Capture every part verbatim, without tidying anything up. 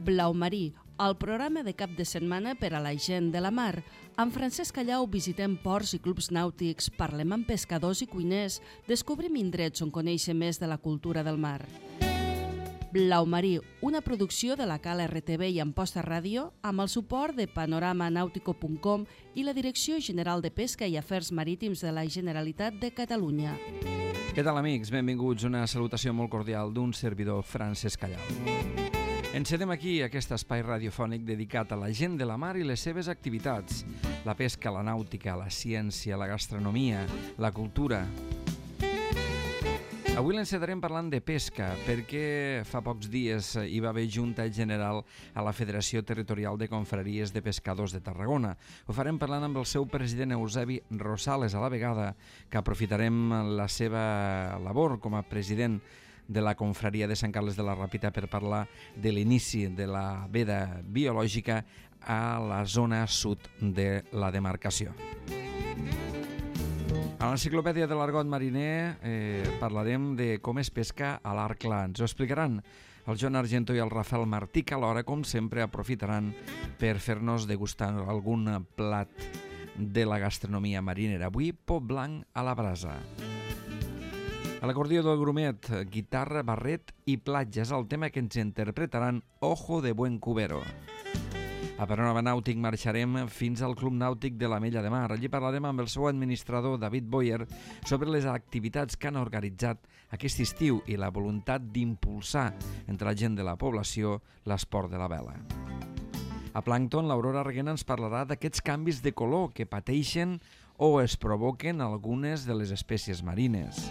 Blau Marí, el programa de cap de setmana per a la gent de la mar. Amb Francesc Callau visitem ports i clubs nàutics, parlem amb pescadors i cuiners, descobrim indrets on conèixer més de la cultura del mar. Blau Marí, una producció de la Cal R T V i Amposta Ràdio, amb el suport de panorama nàutico punt com i la Direcció General de Pesca i Afers Marítims de la Generalitat de Catalunya. Què tal, amics? Benvinguts. Una salutació molt cordial d'un servidor, Francesc Callau. Encedem aquí aquest espai radiofònic dedicat a la gent de la mar i les seves activitats. La pesca, la nàutica, la ciència, la gastronomia, la cultura. Avui l'encetarem parlant de pesca, perquè fa pocs dies hi va haver Junta General a la Federació Territorial de Confraries de Pescadors de Tarragona. Ho farem parlant amb el seu president Eusebi Rosales, a la vegada que aprofitarem la seva labor com a president de la confraria de Sant Carles de la Ràpita per parlar de l'inici de la veda biològica a la zona sud de la demarcació. A l'enciclopèdia de l'argot mariner eh, parlarem de com es pesca a l'arc clar. Ens ho explicaran el Joan Argento i el Rafael Martí, que alhora, com sempre, aprofitaran per fer-nos degustar algun plat de la gastronomia marinera. Avui, pot blanc a la brasa. A l'acordió del grumet, guitarra, barret i platja és el tema que ens interpretaran Ojo de Buen Cubero. A Panorama Nàutic marxarem fins al Club Nàutic de la Mella de Mar. Allí parlarem amb el seu administrador, David Boyer, sobre les activitats que han organitzat aquest estiu i la voluntat d'impulsar entre la gent de la població l'esport de la vela. A Plàncton, l'Aurora Reguena ens parlarà d'aquests canvis de color que pateixen o es provoquen algunes de les espècies marines.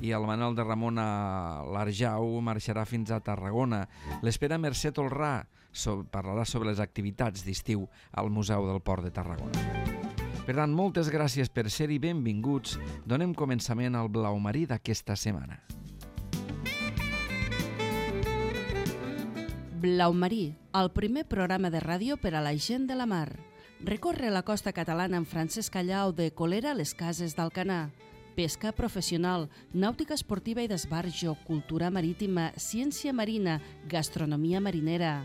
I el Manuel de Ramon a l'Arjau marxarà fins a Tarragona. L'espera Mercè Tolrà so, parlarà sobre les activitats d'estiu al Museu del Port de Tarragona. Per tant, moltes gràcies per ser-hi, benvinguts. Donem començament al Blau Marí d'aquesta setmana. Blau Marí, el primer programa de ràdio per a la gent de la mar. Recorre la costa catalana amb Francesc Callau de Colera a les Cases d'Alcanar. Pesca professional, nàutica esportiva i d'esbarjo, cultura marítima, ciència marina, gastronomia marinera.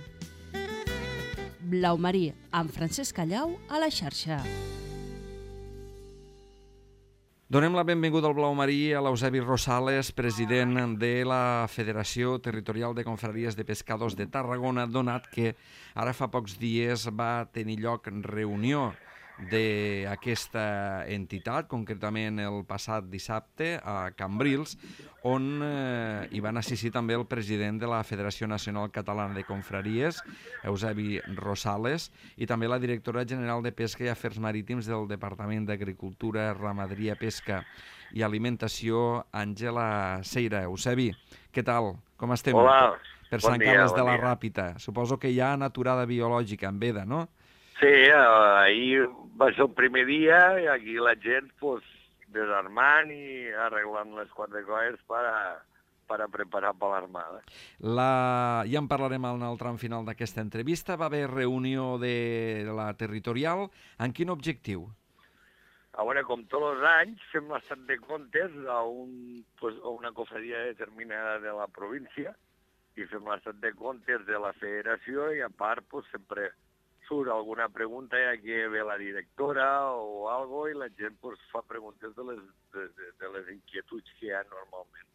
Blau Marí, amb Francesc Callau a la xarxa. Donem la benvinguda al Blau Marí a l'Eusebi Rosales, president de la Federació Territorial de Confraries de Pescadors de Tarragona, donat que ara fa pocs dies va tenir lloc reunió d'aquesta entitat, concretament el passat dissabte a Cambrils, on eh, hi van assistir també el president de la Federació Nacional Catalana de Confraries, Eusebi Rosales, i també la directora general de Pesca i Afers Marítims del Departament d'Agricultura, Ramaderia, Pesca i Alimentació, Àngela Seira. Eusebi, què tal? Com estem? Hola, per bon Sant dia, Carles bon de la dia. Ràpita. Suposo que hi ha naturada biològica en veda, no? Sí, eh, ahir va ser el primer dia i aquí la gent pues, desarmant i arreglant les quatre coses per a, per a preparar per l'armada. La... Ja en parlarem en el tram final d'aquesta entrevista. Va haver reunió de la territorial. En quin objectiu? A veure, com tots els anys, fem l'estat de comptes a, un, pues, a una cofradia determinada de la província i fem l'estat de comptes de la federació i a part pues, sempre surt alguna pregunta ja que ve la directora o algo i la gent pues, fa preguntes de les, de, de, de les inquietuds que hi ha normalment.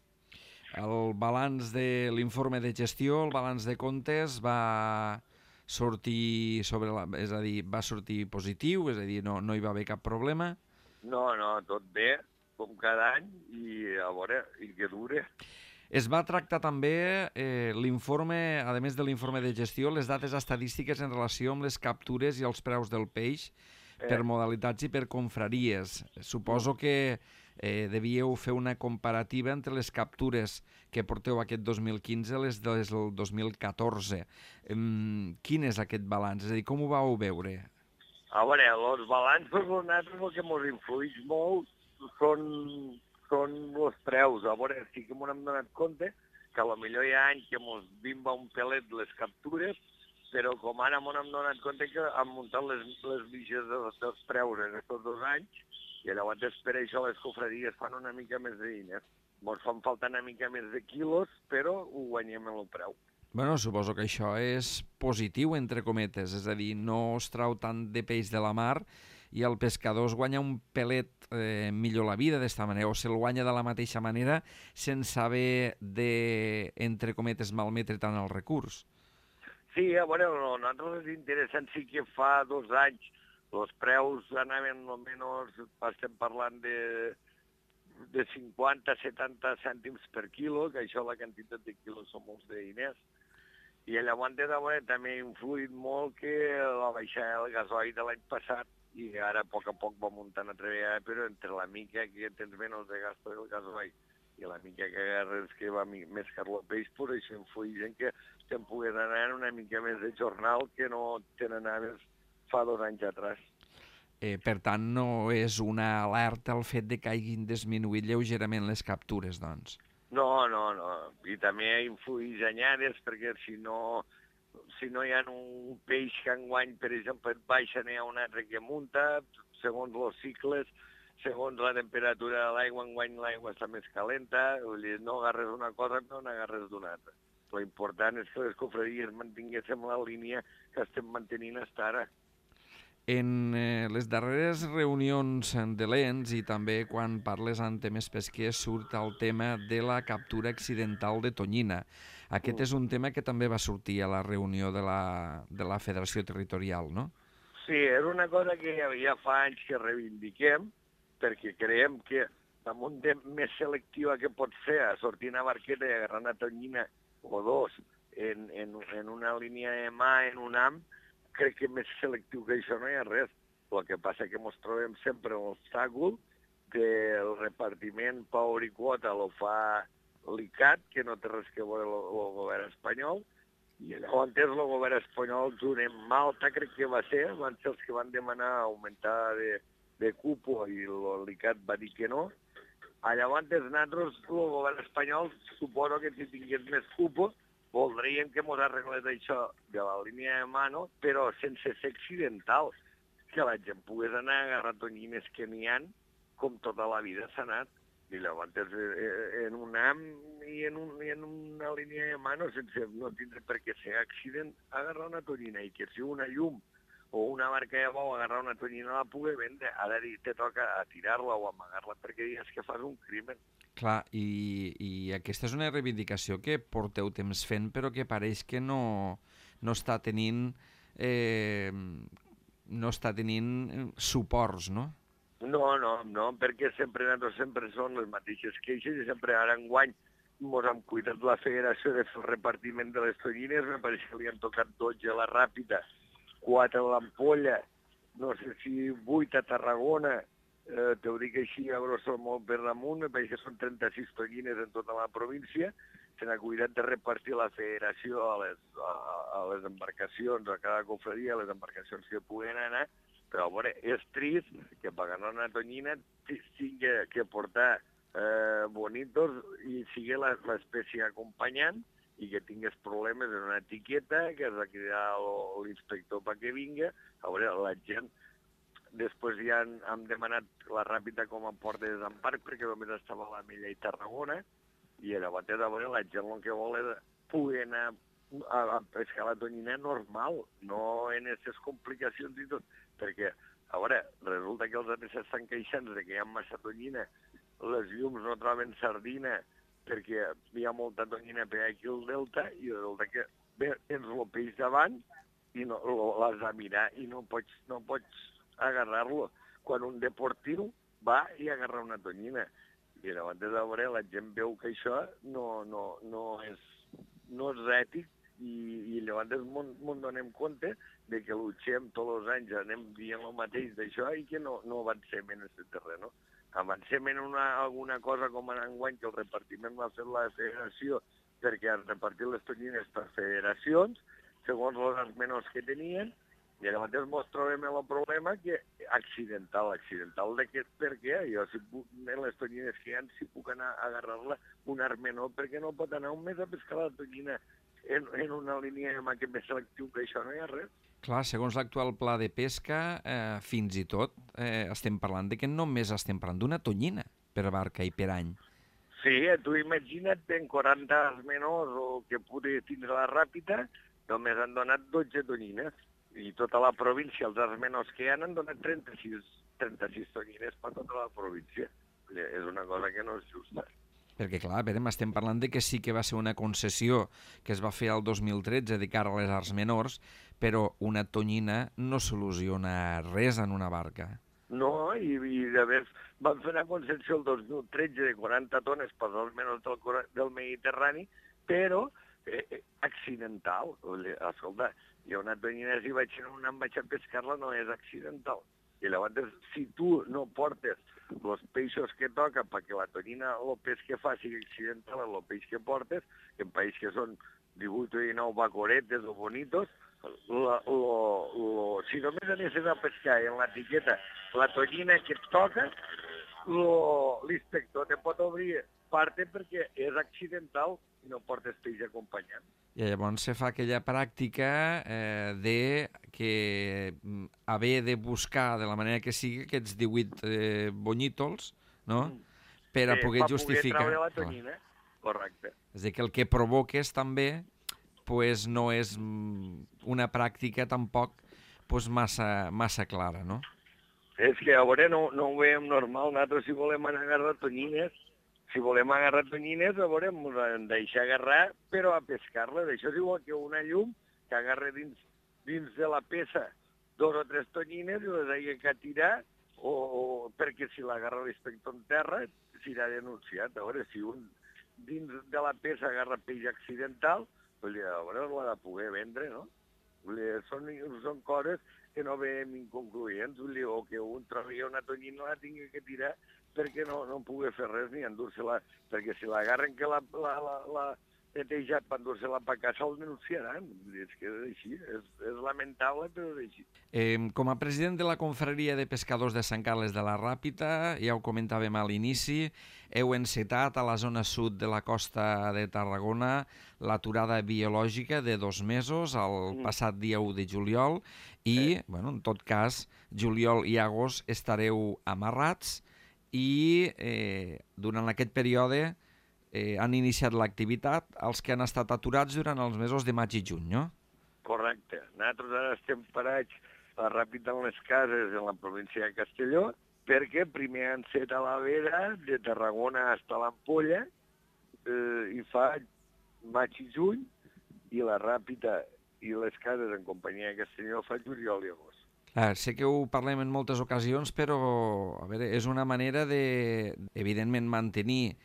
El balanç de l'informe de gestió, el balanç de comptes va sortir sobre la, és a dir, va sortir positiu, és a dir, no, no hi va haver cap problema? No, no, tot bé, com cada any, i a veure, i que dure. Es va tractar també eh, l'informe, a més de l'informe de gestió, les dates estadístiques en relació amb les captures i els preus del peix eh. per modalitats i per confraries. Suposo que eh, devíeu fer una comparativa entre les captures que porteu aquest dos mil quinze i les del dos mil catorze. Um, quin és aquest balanç? És a dir, com ho vau veure? A veure, els balanços per nosaltres el que ens influeix molt són... són els preus. A veure, sí que m'ho hem donat compte que potser hi ha anys que ens bimba un pelet les captures, però com ara m'ho hem donat compte que han muntat les, les mitges dels, dels preus en aquests dos anys i llavors per això les cofraries fan una mica més de diners. Ens fan falta una mica més de quilos, però ho guanyem en el preu. Bueno, suposo que això és positiu, entre cometes, és a dir, no es trau tant de peix de la mar i el pescador es guanya un pelet eh, millor la vida d'esta manera, o se'l guanya de la mateixa manera sense haver de, entre cometes, malmetre tant el recurs. Sí, a veure, no, nosaltres és interessant, sí que fa dos anys els preus anaven almenys, estem parlant de, de cinquanta a setanta cèntims per quilo, que això la quantitat de quilos són molts de diners. I llavors de veure, també ha influït molt que la baixada del gasoil de l'any passat, i ara a poc a poc va muntant a treballar, però entre la mica que tens menys de gasto del gasoil i la mica que agarres que va més car el peix, per això influïx en que te'n pugues anar una mica més de jornal que no te n'anaves fa dos anys atrás. Eh, per tant, no és una alerta el fet de que hagin disminuït lleugerament les captures, doncs. No, no, no. I també influïx anyades, perquè si no, si no hi ha un peix que enguany, per exemple, et baixa, n'hi ha un altre que munta, segons els cicles, segons la temperatura de l'aigua, enguany l'aigua està més calenta, vull dir, no agarres una cosa, no n'agarres d'una altra. L'important és que les cofradies mantinguéssim la línia que estem mantenint fins ara. En eh, les darreres reunions de l'E N S i també quan parles en temes pesquers surt el tema de la captura accidental de tonyina. Aquest mm. és un tema que també va sortir a la reunió de la, de la Federació Territorial, no? Sí, era una cosa que ja fa anys que reivindiquem, perquè creiem que damunt de més selectiva que pot ser a sortir una barqueta i agarrar una tonyina o dos en, en, en una línia de mà, en un am, crec que més selectiu que això no hi ha res. El que passa que ens trobem sempre un obstacle que el repartiment Power i Quota lo fa l'I C A T, que no té res que veure el govern espanyol, i llavors el govern espanyol, junt amb Malta, crec que va ser, van ser els que van demanar augmentar de, de cupo i l'I C A T va dir que no. Llavors, nosaltres, el govern espanyol, suposo que si tingués més cupo, voldríem que mos arreglés això de la línia de mano, però sense ser accidental, que la gent pogués anar a agarrar tonyines que n'hi ha, com tota la vida s'ha anat. I llavors, en un am i en, un, i en una línia de mano, sense no tindre per què ser accident, agarrar una tonyina, i que si una llum o una barca de bou agarrar una tonyina la pugui vendre, ara te toca a tirar-la o amagar-la perquè digues que fas un crimen. Clar, i, i aquesta és una reivindicació que porteu temps fent, però que pareix que no, no està tenint eh, no està tenint suports, no? No, no, no, perquè sempre, sempre són les mateixes queixes i sempre ara enguany ens hem cuidat la federació de fer el repartiment de les tonyines, me pareix que li han tocat dotze a la Ràpita, quatre a l'Ampolla, no sé si vuit a Tarragona, eh, t'ho dic així a grosso molt per damunt, me pareix que són trenta-sis tonyines en tota la província, se n'ha cuidat de repartir la federació a les, a, a les embarcacions, a cada cofredia, a les embarcacions que puguen anar, però a veure, és trist que per ganar una tonyina sigui que portar eh, bonitos i sigui l'espècie acompanyant, i que tingués problemes en una etiqueta, que has de cridar l'inspector perquè vinga. A veure, la gent, després ja han, han demanat la Ràpita com a port de desembarc, perquè només estava a la Mella i Tarragona, i llavors, a veure, la gent el que vol és poder anar a, a pescar la tonyina normal, no en aquestes complicacions i tot, perquè, a veure, resulta que els altres estan queixant de que hi ha massa tonyina, les llums no troben sardina, perquè hi ha molta tonyina per aquí al delta, i resulta que bé, tens el peix davant i no, l'has de mirar i no pots, no pots agarrar-lo. Quan un deportiu va i agarra una tonyina. I llavors, de veure, la gent veu que això no, no, no, és, no és ètic, i, i llavors ens donem compte de que luchem tots els anys, anem dient el mateix d'això i que no, no avancem en aquest terreny. Avancem en una, alguna cosa com en enguany que el repartiment va fer la federació perquè han repartit les tonyines per federacions, segons els menors que tenien, i llavors ens trobem el problema que accidental, accidental de què, per què? Jo, si puc, en les tonyines que hi ha, si puc anar a agarrar-la un arc menor, perquè no pot anar un mes a pescar la tonyina en, en una línia de mà que més selectiu que això no hi ha res. Clar, segons l'actual pla de pesca, eh, fins i tot eh, estem parlant de que només estem parlant d'una tonyina per barca i per any. Sí, tu imagina't, en quaranta menors o que pugui tindre la ràpida, només han donat dotze tonyines. I tota la província, els arts menors que hi ha, han donat trenta-sis, trenta-sis tonyines per tota la província. És una cosa que no és justa. Perquè, clar, veurem, estem parlant de que sí que va ser una concessió que es va fer el dos mil tretze de cara a les arts menors, però una tonyina no soluciona res en una barca. No, i, i de més van fer una concessió el dos mil tretze de quaranta tones per als menors del, del Mediterrani, però eh, accidental. Escolta, jo una tonyina, si vaig en una em vaig a pescar-la, no és accidental. I llavors, si tu no portes els peixos que toca perquè la tonyina, el peix que fa sigui accidental, el peix que portes, que en país que són divuit o dinou bacoretes o bonitos, la, lo, lo, si només anessin a pescar en l'etiqueta la tonyina que et toca, l'inspector te pot obrir parte perquè és accidental i no portes peix acompanyant. I llavors se fa aquella pràctica eh, de que haver de buscar de la manera que sigui aquests divuit eh, bonyitos, no? Mm. Per a poder sí, justificar... Per poder treure la tonyina, correcte. És a dir, que el que provoques també pues, no és una pràctica tampoc pues, massa, massa clara, no? És que a veure, no, no ho veiem normal. Nosaltres si volem anar a agarrar tonyines, si volem agarrar tonyines, a veure, ens hem deixar agarrar, però a pescar-les. Això és igual que una llum que agarra dins, dins de la peça dos o tres tonyines i les hagi que tirar, o, o perquè si l'agarra l'inspector en terra, serà denunciat. A veure, si un dins de la peça agarra peix accidental, a veure, l'ha de poder vendre, no? Són, són coses que no veiem inconcluents, o que un trobi una tonyina la tingui que tirar perquè no, no pugui fer res ni endur-se-la, perquè si l'agarren que la, la, la, la netejat per endur-se-la per casa el denunciaran. És que és així, és, és lamentable, però és així. Eh, com a president de la Confraria de Pescadors de Sant Carles de la Ràpita, ja ho comentàvem a l'inici, heu encetat a la zona sud de la costa de Tarragona l'aturada biològica de dos mesos, el passat dia u de juliol, i, bueno, en tot cas, juliol i agost estareu amarrats i eh, durant aquest període eh, han iniciat l'activitat els que han estat aturats durant els mesos de maig i juny, no? Correcte. Nosaltres ara estem parats a la Ràpita en les cases en la província de Castelló, perquè primer han set a la Vera, de Tarragona fins a l'Ampolla, eh, i fa maig i juny, i la Ràpita i les cases en companyia de Castelló fa juliol i agost. Ah, sé que ho parlem en moltes ocasions, però a veure, és una manera de, evidentment, mantenir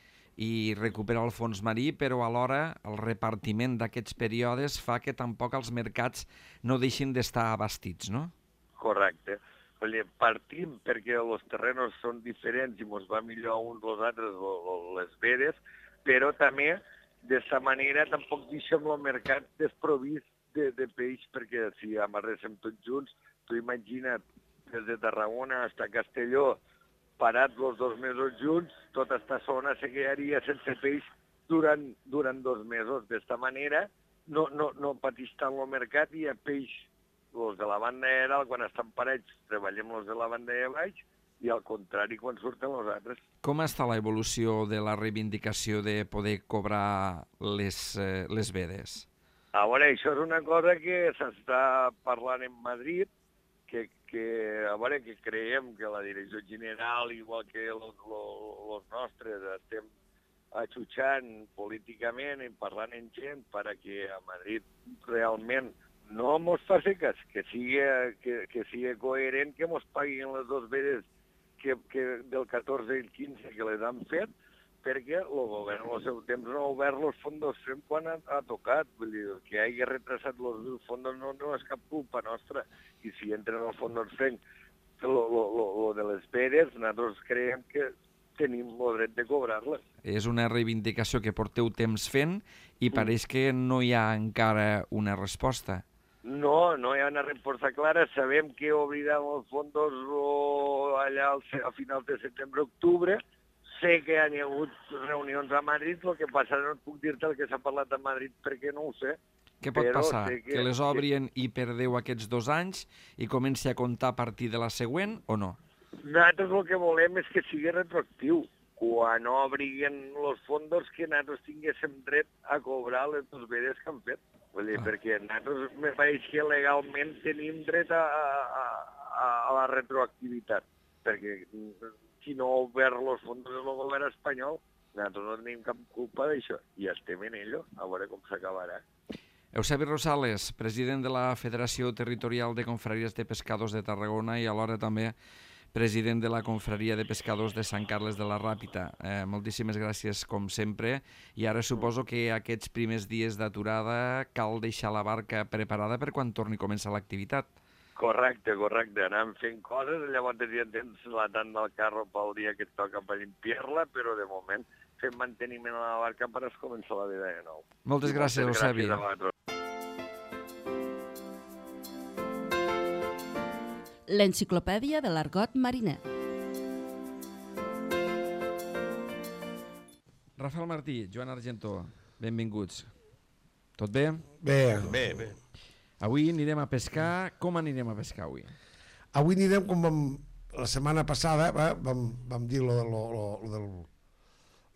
i recuperar el fons marí, però alhora el repartiment d'aquests períodes fa que tampoc els mercats no deixin d'estar abastits, no? Correcte. Partim perquè els terrenos són diferents i ens va millor uns als altres les veres, però també d'aquesta manera tampoc deixem el mercat desprovist de, de peix, perquè si amarréssim tots junts, tu imagina't, des de Tarragona fins a Castelló, parats els dos mesos junts, tota aquesta zona se quedaria sense peix durant, durant dos mesos. D'esta manera no, no, no pateix tant el mercat i hi ha peix. Els de la banda de dalt, quan estan parells, treballem els de la banda de baix, i al contrari, quan surten els altres. Com està l'evolució de la reivindicació de poder cobrar les, eh, les vedes? A veure, això és una cosa que s'està parlant en Madrid, que, que, a veure, que creiem que la direcció general, igual que els nostres, estem atxutxant políticament i parlant amb gent perquè a Madrid realment no mos faci cas, que sigui, que, que sigui coherent, que mos paguin les dues vedes que, que del catorze i el quinze que les han fet, perquè el govern al seu temps no ha obert els fondos fem quan ha, ha tocat. Vull dir, que hagi retrasat els fondos no, no és cap culpa nostra. I si entren els fondos fem el de les vedes, nosaltres creiem que tenim el dret de cobrar-les. És una reivindicació que porteu temps fent i mm. pareix que no hi ha encara una resposta. No, no hi ha una resposta clara. Sabem que obriran els fondos allà a finals de setembre-octubre. Sé que hi ha hagut reunions a Madrid, el que passa no puc dir-te el que s'ha parlat a Madrid perquè no ho sé. Què pot passar? Que, que les obrin i perdeu aquests dos anys i comenci a comptar a partir de la següent o no? Nosaltres el que volem és que sigui retroactiu. quan obriguen els fondos que nosaltres tinguéssim dret a cobrar les dues vedes que han fet. Vull dir, ah. perquè nosaltres me pareix que legalment tenim dret a, a, a, a la retroactivitat, perquè si no ha obert els fondos del govern espanyol, nosaltres no tenim cap culpa d'això, i estem en ello, a veure com s'acabarà. Eusebi Rosales, president de la Federació Territorial de Confraries de Pescadors de Tarragona i alhora també president de la Confraria de Pescadors de Sant Carles de la Ràpita. Eh, moltíssimes gràcies, com sempre, i ara suposo que aquests primers dies d'aturada cal deixar la barca preparada per quan torni a començar l'activitat. Correcte, correcte. Anem fent coses, llavors ja tens la tant del carro pel dia que et toca per limpiar-la, però de moment fem manteniment a la barca per es començar la vida de nou. Moltes gràcies, Eusebi. Gràcies a vosaltres. L'enciclopèdia de l'argot mariner. Rafael Martí, Joan Argentó, benvinguts. Tot bé? Bé. Bé, bé. Avui anirem a pescar. Com anirem a pescar avui? Avui anirem com vam, la setmana passada, va, vam, vam dir lo, lo, lo, lo, del,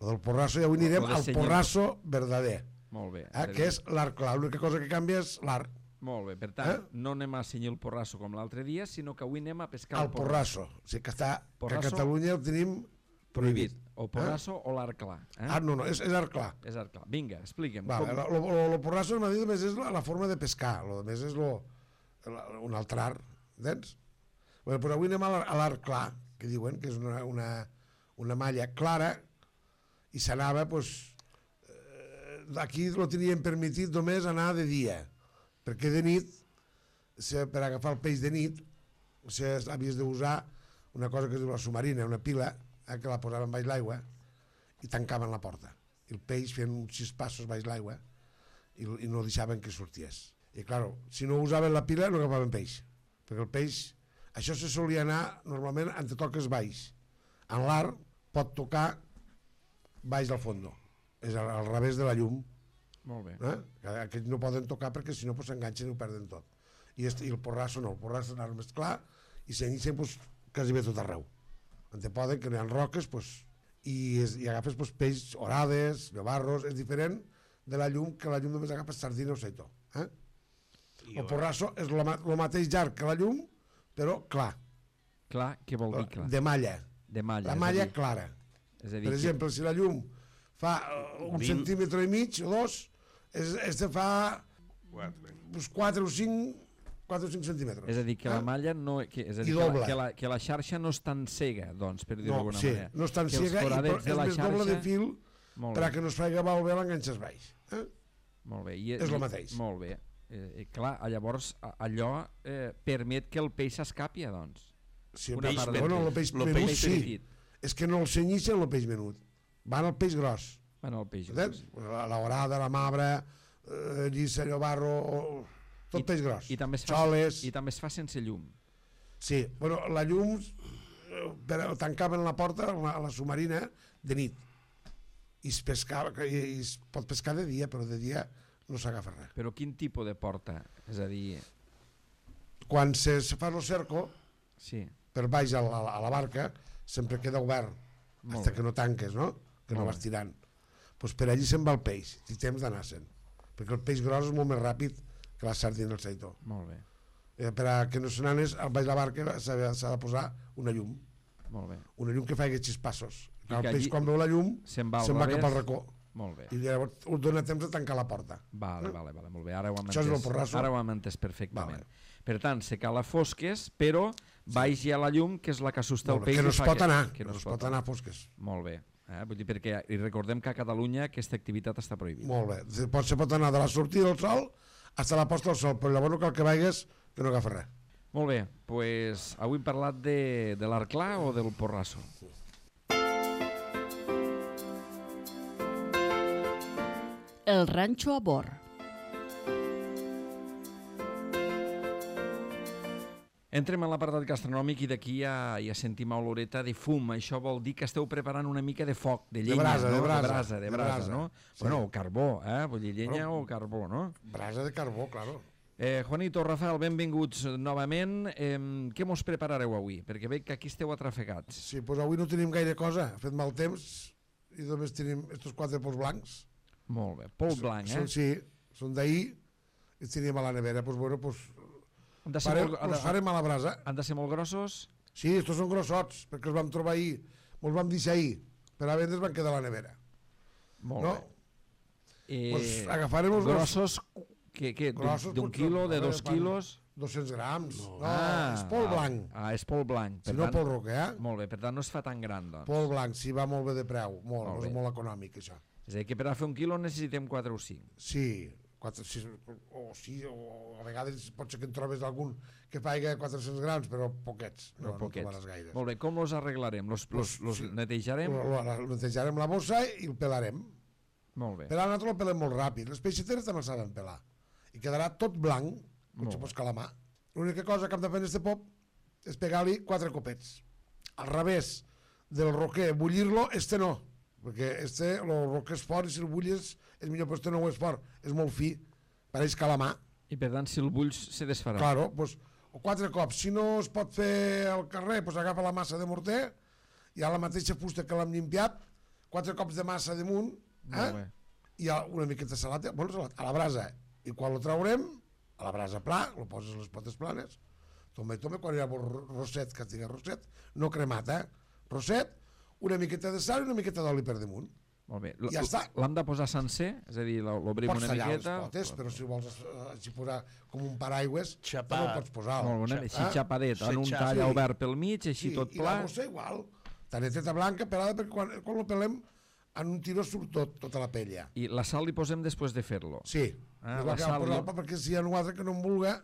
lo del porrasso, i avui anirem al porrasso verdader. Molt bé. Eh, que és l'arc clar. L'única cosa que canvia és l'arc. Molt bé, per tant, eh? no anem a senyir el porrasso com l'altre dia, sinó que avui anem a pescar el, el porrasso. O sigui que, està, porrasso, que a Catalunya el tenim prohibit. prohibit. O porrasso eh? o l'arc clar. Eh? Ah, no, no, és, és arc clar. És arc clar. Vinga, explica'm. Vale, com... El porrasso només és la, la forma de pescar, lo més és lo, la, un altre art, entens? Bueno, però avui anem a l'arc clar, que diuen que és una, una, una malla clara, i s'anava, doncs, eh, aquí lo tenien permitit només anar de dia, perquè de nit, per agafar el peix de nit, havies d'usar una cosa que es diu la submarina, una pila, eh, que la posaven baix l'aigua i tancaven la porta. I el peix feien uns sis passos baix l'aigua i, i no deixaven que sorties. I clar, si no usaven la pila no agafaven peix, perquè el peix, això se solia anar normalment entre toques baix. En l'arc pot tocar baix del fondo, és al, al revés de la llum. Molt bé. Eh? Aquests no poden tocar perquè si no pues, s'enganxen i ho perden tot. I, est, I el porrasso no, el porrasso és més clar i s'enganxen pues, quasi bé tot arreu. On te poden, que no hi ha roques, pues, i, es, i agafes pues, peix, orades, llobarros, és diferent de la llum, que la llum només agafes sardina o seitó. Eh? El porrasso és el mateix llarg que la llum, però clar. Clar, què vol dir clar? De malla. De malla. La malla dir... clara. És a dir, per exemple, que... si la llum fa un vint... centímetre i mig o dos, és, és de fa uns quatre o cinc centímetres. És a dir, que eh? la malla no... Que, és a dir, que la, que, la, que la xarxa no és tan cega, doncs, per dir-ho no, d'alguna sí, manera. No és tan que cega i és més xarxa... doble de fil perquè no es faci malbé l'enganxes baix. Eh? Molt bé. I, és el mateix. Molt bé. Eh, clar, llavors allò eh, permet que el peix s'escapi, doncs. Sí, el peix, bueno, el peix menut peix sí. Petit. És que no el cenyixen el peix menut. Van al peix gros. Van al peix gros. La, la orada, la mabra, eh, lliça, llobarro, tot I, peix gros. I també, es fa, I també es fa sense llum. Sí, bueno, la llum per, tancaven la porta a la, a la submarina de nit. I es, pescava, i es pot pescar de dia, però de dia no s'agafa res. Però quin tipus de porta? És a dir... Quan se, se fa el cerco, sí. per baix a la, a la barca, sempre queda obert, fins que no tanques, no? Que no vas tirant. Pues per allí se'n va el peix, i temps d'anar-se'n. Perquè el peix gros és molt més ràpid que la sardina del seitó. Molt bé. Eh, per a que no se n'anes, al baix de la barca s'ha de posar una llum. Molt bé. Una llum que faci sis passos. El peix, allí... quan veu la llum, se'n va, se va cap al racó. Molt bé. I llavors us dona temps de tancar la porta. Vale, vale, vale, molt bé. Ara ho hem Això entès. és el porrasso. Ara ho hem entès perfectament. Vale. Per tant, se cala fosques, però baix hi ha la llum, que és la que assusta el peix. Que no es pot anar, que no es pot anar a fosques. Molt bé. Eh? Vull dir, perquè i recordem que a Catalunya aquesta activitat està prohibida. Molt bé. Se pot anar de la sortida del sol fins a la posta del sol, però llavors no cal que vagis que no agafa res. Molt bé, doncs pues, avui hem parlat de, de l'arc clar o del porrasso? El ranxo a bord. Entrem en l'apartat gastronòmic i d'aquí ja, ja sentim oloreta de fum. Això vol dir que esteu preparant una mica de foc, de llenya, de brasa, no? de brasa, de brasa, de brasa, brasa no? sí. Bueno, o carbó, eh? Vull dir, llenya bueno, o carbó, no? Brasa de carbó, claro. Eh, Juanito, Rafael, benvinguts novament. Eh, què mos preparareu avui? Perquè veig que aquí esteu atrafegats. Sí, doncs avui no tenim gaire cosa. Ha fet mal temps i només tenim estos quatre pols blancs. Molt bé. Pols blanc, eh? Són, sí, són d'ahir i els tenim a la nevera. Doncs bueno, doncs Han de ser farem, molt- han els de- farem a la brasa. Han de ser molt grossos? Sí, estos són grossots, perquè els vam trobar ahir, els vam deixar ahir, per a vendre's van quedar a la nevera. Molt No? bé. Eh, Pues agafarem els grossos, que, que, d'un- Grossos, d'un doncs, quilo, a de veure, dos fan quilos? dos-cents grams. No, Ah, és pol ah, blanc. Ah, és pol blanc. Si Per no, tant- pol roque, eh? Molt bé, per tant no es fa tan gran, doncs. Pol blanc, sí, va molt bé de preu. Molt, Molt és bé. molt econòmic, això. És a dir, que per a fer un quilo necessitem quatre o cinc. Sí, quatre, sis, o sí, o a vegades pot ser que en trobes algun que pagui quatre-cents grams, però poquets, no, Però no poquets. trobaràs gaires. Molt bé, com els arreglarem? Los, los, los sí. netejarem? Lo, lo, lo netejarem la bossa i el pelarem. Molt bé. Pelar nosaltres el pelem molt ràpid. Les peixateres també el saben pelar. I quedarà tot blanc, com Molt si bé. fos calamar. L'única cosa que hem de fer en este pop és pegar-li quatre copets. Al revés del roquer, bullir-lo, este no. Perquè este, el roquer és fort i si el bulles és millor, però este no ho és fort. És molt fi, pareix calamar. I per tant, si el bulls, se desfarà. Claro, pues, o quatre cops. Si no es pot fer al carrer, pues agafa la massa de morter i a la mateixa fusta que l'hem limpiat, quatre cops de massa damunt, Molt bé. eh? i a una miqueta de salat, bueno, salat, a la brasa. I quan lo traurem, a la brasa pla, lo poses a les potes planes, tome, tome, quan hi ha rosset, que tinga rosset, no cremat, eh? Rosset, una miqueta de sal i una miqueta d'oli per damunt. Molt bé. Ja està. L'hem de posar sencer? És a dir, l'obrim Pots una tallar miqueta? les potes, però si vols eh, així posar com un paraigües, Xapat. no ho pots posar. Molt bé, així Eh? xapadet, en un Sí, tall sí. obert pel mig, així Sí, tot i pla. la bossa igual, taneteta blanca pelada, perquè quan, quan lo pelem en un tiró surt tot, tota la pella. I la sal li posem després de fer-lo. Sí, Ah, és la la que sal vam posar, no- perquè si hi ha un altre que no en vulga,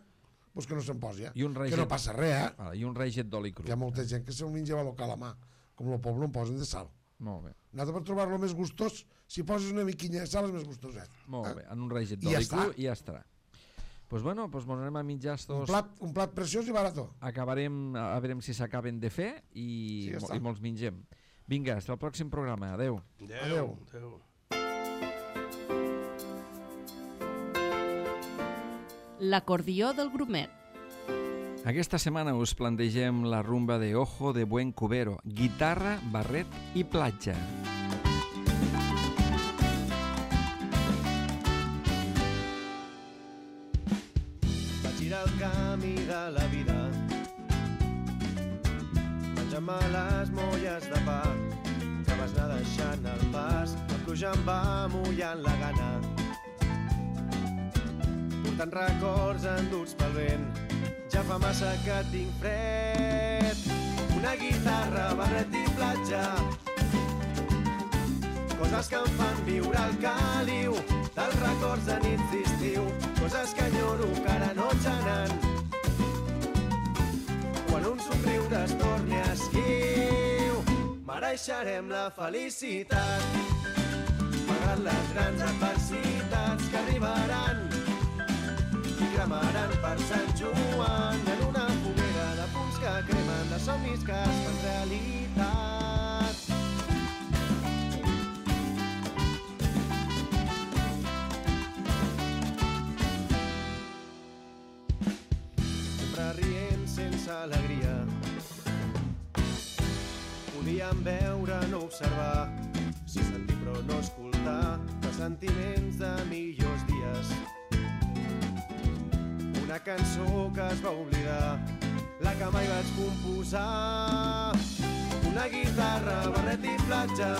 doncs que no se'n posi. Eh? I un Que reixet- no passa res, eh? Ah, I un reixet d'oli cru. Hi ha molta gent que se'l menja a lo calamar, com el poble en posen de sal. Molt bé. Nosaltres per trobar-lo més gustós, si poses una miquinya de sal és més gustoset. Molt eh? bé, en un reixet I ja d'oli cru està. i ja estarà. Doncs pues bueno, pues mos anem a mitjar Un estos... plat, un plat preciós i barató. Acabarem, a veurem si s'acaben de fer i, Sí, ja mo- està. i molts mengem. Vinga, fins al pròxim programa. Adeu. Adéu. Adéu. L'acordió del grumet. Aquesta setmana us plantegem la rumba de Ojo de Buen Cubero, guitarra, barret i platja. Vaig girar el camí de la vida menjant-me les molles de pa que vas anar deixant al pas. La pluja em va mullant la gana portant records enduts pel vent. Ja fa massa que tinc fred. Una guitarra, barret i platja, coses que em fan viure el caliu dels records de nits d'estiu, coses que enyoro que ara no xanen. Quan un somriure es torni esquiu, mereixerem la felicitat, malgrat les grans adversitats que arribaran i cremaran per Sant Joan en una foguera de punts que cremen, de somnis que es fan realitat. Sempre rient sense alegria, podíem veure, no observar, sí sentir però no escoltar, els sentiments de millors dies. Una cançó que es va oblidar, la que mai vaig composar. Una guitarra, barret i platja,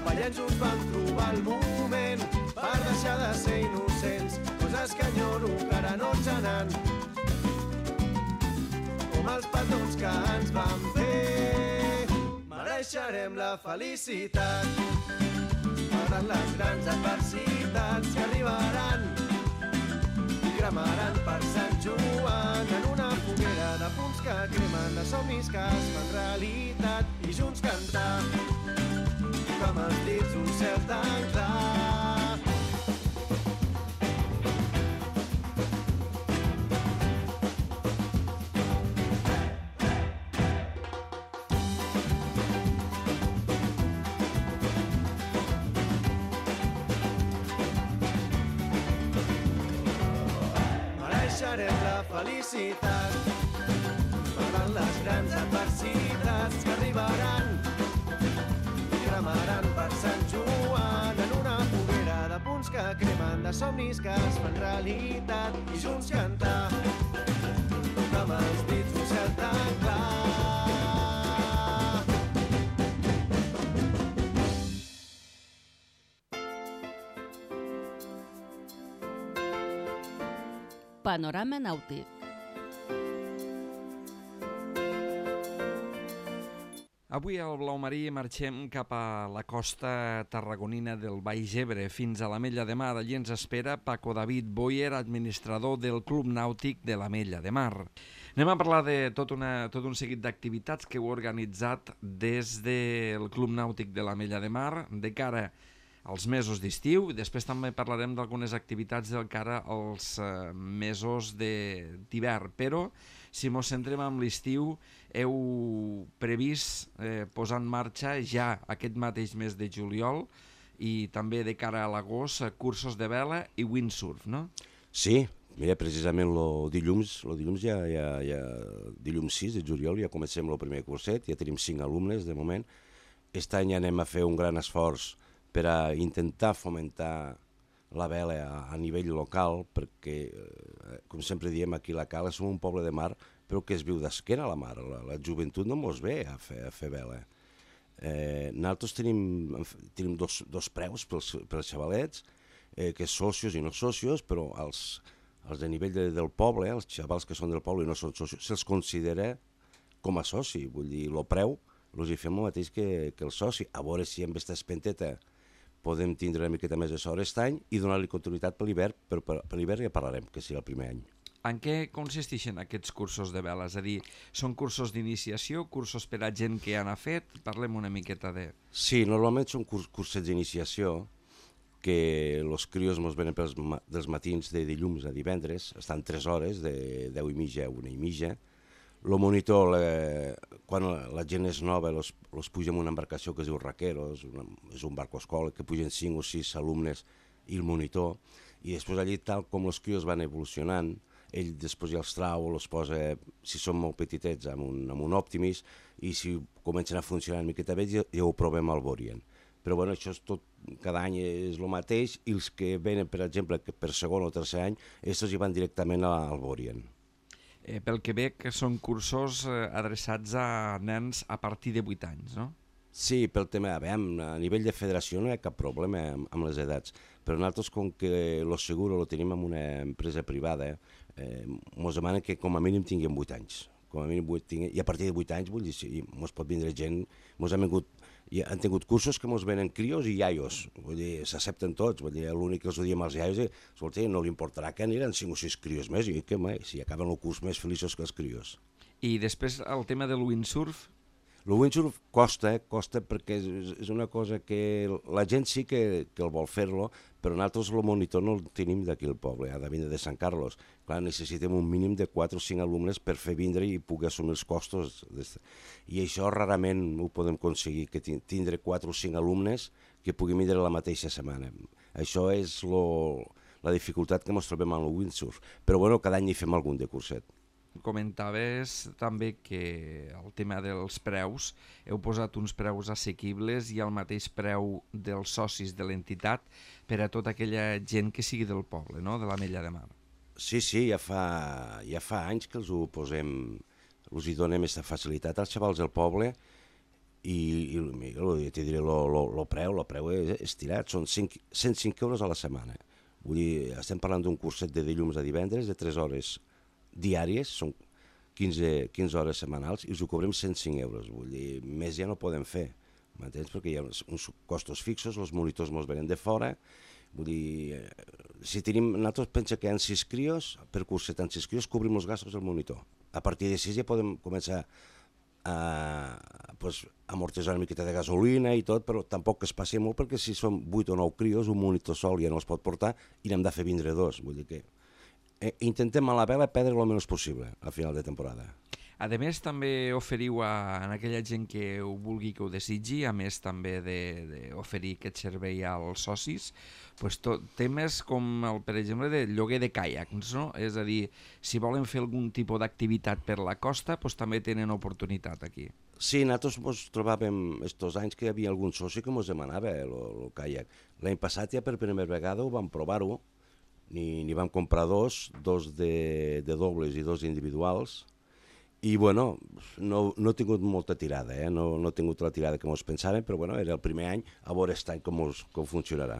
ballant junts vam trobar el moment per deixar de ser innocents, coses que enyoro que ara no ens anen, com els petons que ens van fer. Mereixerem la felicitat, malgrat les grans adversitats que arribaran i cremaran per Sant Joan en una foguera de punts que cremen, de somnis que es fan realitat, i junts cantar com els dits un cel tan clar. mereixerem la felicitat. Malgrat les grans adversitats que arribaran i cremaran per Sant Joan en una foguera de punts que cremen, de somnis que es fan realitat, i junts cantar amb els dits un cel tan clar. Panorama nàutic. Avui al Blau Marí marxem cap a la costa tarragonina del Baix Ebre, fins a l'Ametlla de Mar. Allí ens espera Paco David Boyer, administrador del Club Nàutic de l'Ametlla de Mar. Anem a parlar de tot, una, tot un seguit d'activitats que heu organitzat des del Club Nàutic de l'Ametlla de Mar de cara als mesos d'estiu. Després també parlarem d'algunes activitats de cara als eh, mesos d'hivern, però si mos centrem en l'estiu, heu previst eh, posar en marxa ja aquest mateix mes de juliol i també de cara a l'agost cursos de vela i windsurf, no? Sí, mira, precisament el dilluns, lo dilluns ja, ja, ja, dilluns sis de juliol ja comencem el primer curset, ja tenim cinc alumnes de moment. Aquest any anem a fer un gran esforç per a intentar fomentar la vela a, a nivell local, perquè, eh, com sempre diem, aquí a la Cala som un poble de mar, però que es viu d'esquena a la mar. La, la joventut no mos ve a fer, a fer vela. Eh, nosaltres tenim, tenim dos, dos preus pels, pels xavalets, eh, que és socios i no socios, però els, els de nivell de, del poble, els xavals que són del poble i no són socios, se'ls considera com a soci. Vull dir, el preu els hi fem el mateix que, que el soci. A veure si amb aquesta espenteta podem tindre una miqueta més de sort aquest any i donar-li continuïtat per l'hivern, però per, per l'hivern ja parlarem, que serà el primer any. En què consisteixen aquests cursos de vela? És a dir, són cursos d'iniciació, cursos per a gent que ja n'ha fet? Parlem una miqueta de... Sí, normalment són curs, cursets d'iniciació que els crios ens venen pels, dels matins de dilluns a divendres, estan tres hores, de deu i mitja a una i mitja. El monitor, la, quan la gent és nova, els, els puja en una embarcació que es diu Raqueros, una, és un barco escola, que pugen cinc o sis alumnes i el monitor, i després allí, tal com els crios van evolucionant, ell després ja els trau, els posa, si són molt petitets, amb un, amb un Optimis, i si comencen a funcionar una miqueta bé, ja, ja ho provem al Borien. Però bueno, això és tot, cada any és el mateix, i els que venen, per exemple, que per segon o tercer any, estos hi van directament al Borien. Eh, pel que veig, són cursos eh, adreçats a nens a partir de vuit anys, no? Sí, pel tema, a, veure, a nivell de federació no hi ha cap problema amb, amb les edats, però nosaltres, com que el seguro lo tenim en una empresa privada, eh, ens demanen que com a mínim tinguem vuit anys. Com a mínim vuit tinguem, i a partir de vuit anys, vull dir, sí, ens pot vindre gent, ens han vingut, i han tingut cursos que ens venen crios i iaios, vull dir, s'accepten tots, vull dir, l'únic que els ho diem als iaios és, escolta, no li importarà que aniran cinc o sis crios més, i que mai, si acaben el curs més feliços que els crios. I després el tema del windsurf? El windsurf costa, eh? costa perquè és, és una cosa que la gent sí que, que el vol fer-lo, però nosaltres el monitor no el tenim d'aquí al poble, ha de vindre de Sant Carlos. Clar, necessitem un mínim de quatre o cinc alumnes per fer vindre i poder assumir els costos. I això rarament ho podem aconseguir, que tindre quatre o cinc alumnes que puguin vindre la mateixa setmana. Això és lo, la dificultat que ens trobem amb el windsurf. Però bueno, cada any hi fem algun de curset. Comentaves també que el tema dels preus, heu posat uns preus assequibles i el mateix preu dels socis de l'entitat per a tota aquella gent que sigui del poble, no? De l'Ametlla de Mar. Sí, sí, ja fa, ja fa anys que els ho posem, els hi donem aquesta facilitat als xavals del poble i, i ja t'hi diré, el preu, el preu és estirat, són cent cinc euros a la setmana. Vull dir, estem parlant d'un curset de dilluns a divendres de tres hores diàries, són quinze, quinze hores setmanals, i us ho cobrem cent cinc euros. Vull dir, més ja no podem fer, m'entens? Perquè hi ha uns costos fixos, els monitors ens venen de fora. Vull dir, si tenim, nosaltres pensa que hi ha sis crios, per curset en sis crios cobrim els gastos del monitor. A partir de sis ja podem començar a pues, amortitzar una miqueta de gasolina i tot, però tampoc que es passi molt, perquè si són vuit o nou crios, un monitor sol ja no els pot portar i n'hem de fer vindre dos. Vull dir que intentem a la vela perdre el menys possible al final de temporada. A més, també oferiu a, a aquella gent que ho vulgui, que ho desitgi, a més també d'oferir aquest servei als socis, pues, tot, temes com, el, per exemple, de lloguer de caiacs, no? És a dir, si volen fer algun tipus d'activitat per la costa, pues, també tenen oportunitat aquí. Sí, nosaltres ens trobàvem estos anys que hi havia algun soci que ens demanava el caiac. L'any passat ja per primera vegada ho vam provar-ho, n'hi vam comprar dos, dos de, de dobles i dos individuals, i bueno, no, no he tingut molta tirada, eh? no, no he tingut la tirada que ens pensàvem, però bueno, era el primer any, a veure aquest any com, us, com funcionarà.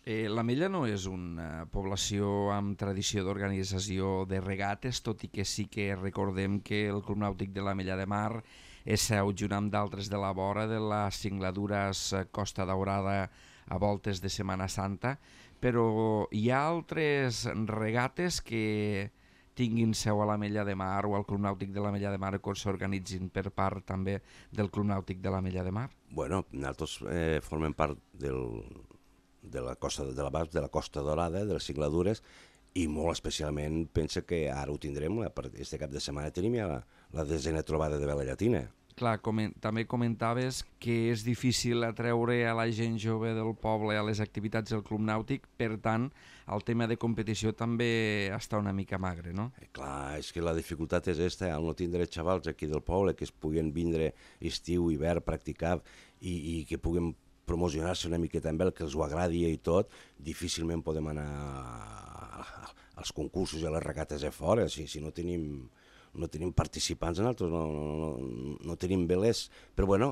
Eh, l'Ametlla no és una població amb tradició d'organització de regates, tot i que sí que recordem que el Club Nàutic de l'Ametlla de Mar és seu, junt amb d'altres de la vora, de les Singladures Costa Daurada a voltes de Setmana Santa, però hi ha altres regates que tinguin seu a l'Ametlla de Mar o al Club Nàutic de l'Ametlla de Mar que s'organitzin per part també del Club Nàutic de l'Ametlla de Mar? Bueno, nosaltres eh, formem part del, de la costa de la, de la Costa Daurada, de les Singladures, i molt especialment pensa que ara ho tindrem, aquest cap de setmana tenim ja la, la desena trobada de vela llatina. Clar, coment, també comentaves que és difícil atreure a la gent jove del poble a les activitats del Club Nàutic, per tant, el tema de competició també està una mica magre, no? Eh, clar, és que la dificultat és aquesta, al no tindre xavals aquí del poble que es puguen vindre estiu, hivern, practicar i, i que puguen promocionar-se una miqueta amb el que els ho agradi i tot, difícilment podem anar als concursos i a les regates a fora, si, si no tenim... no tenim participants nosaltres, no, no, no, no tenim velers, però bueno,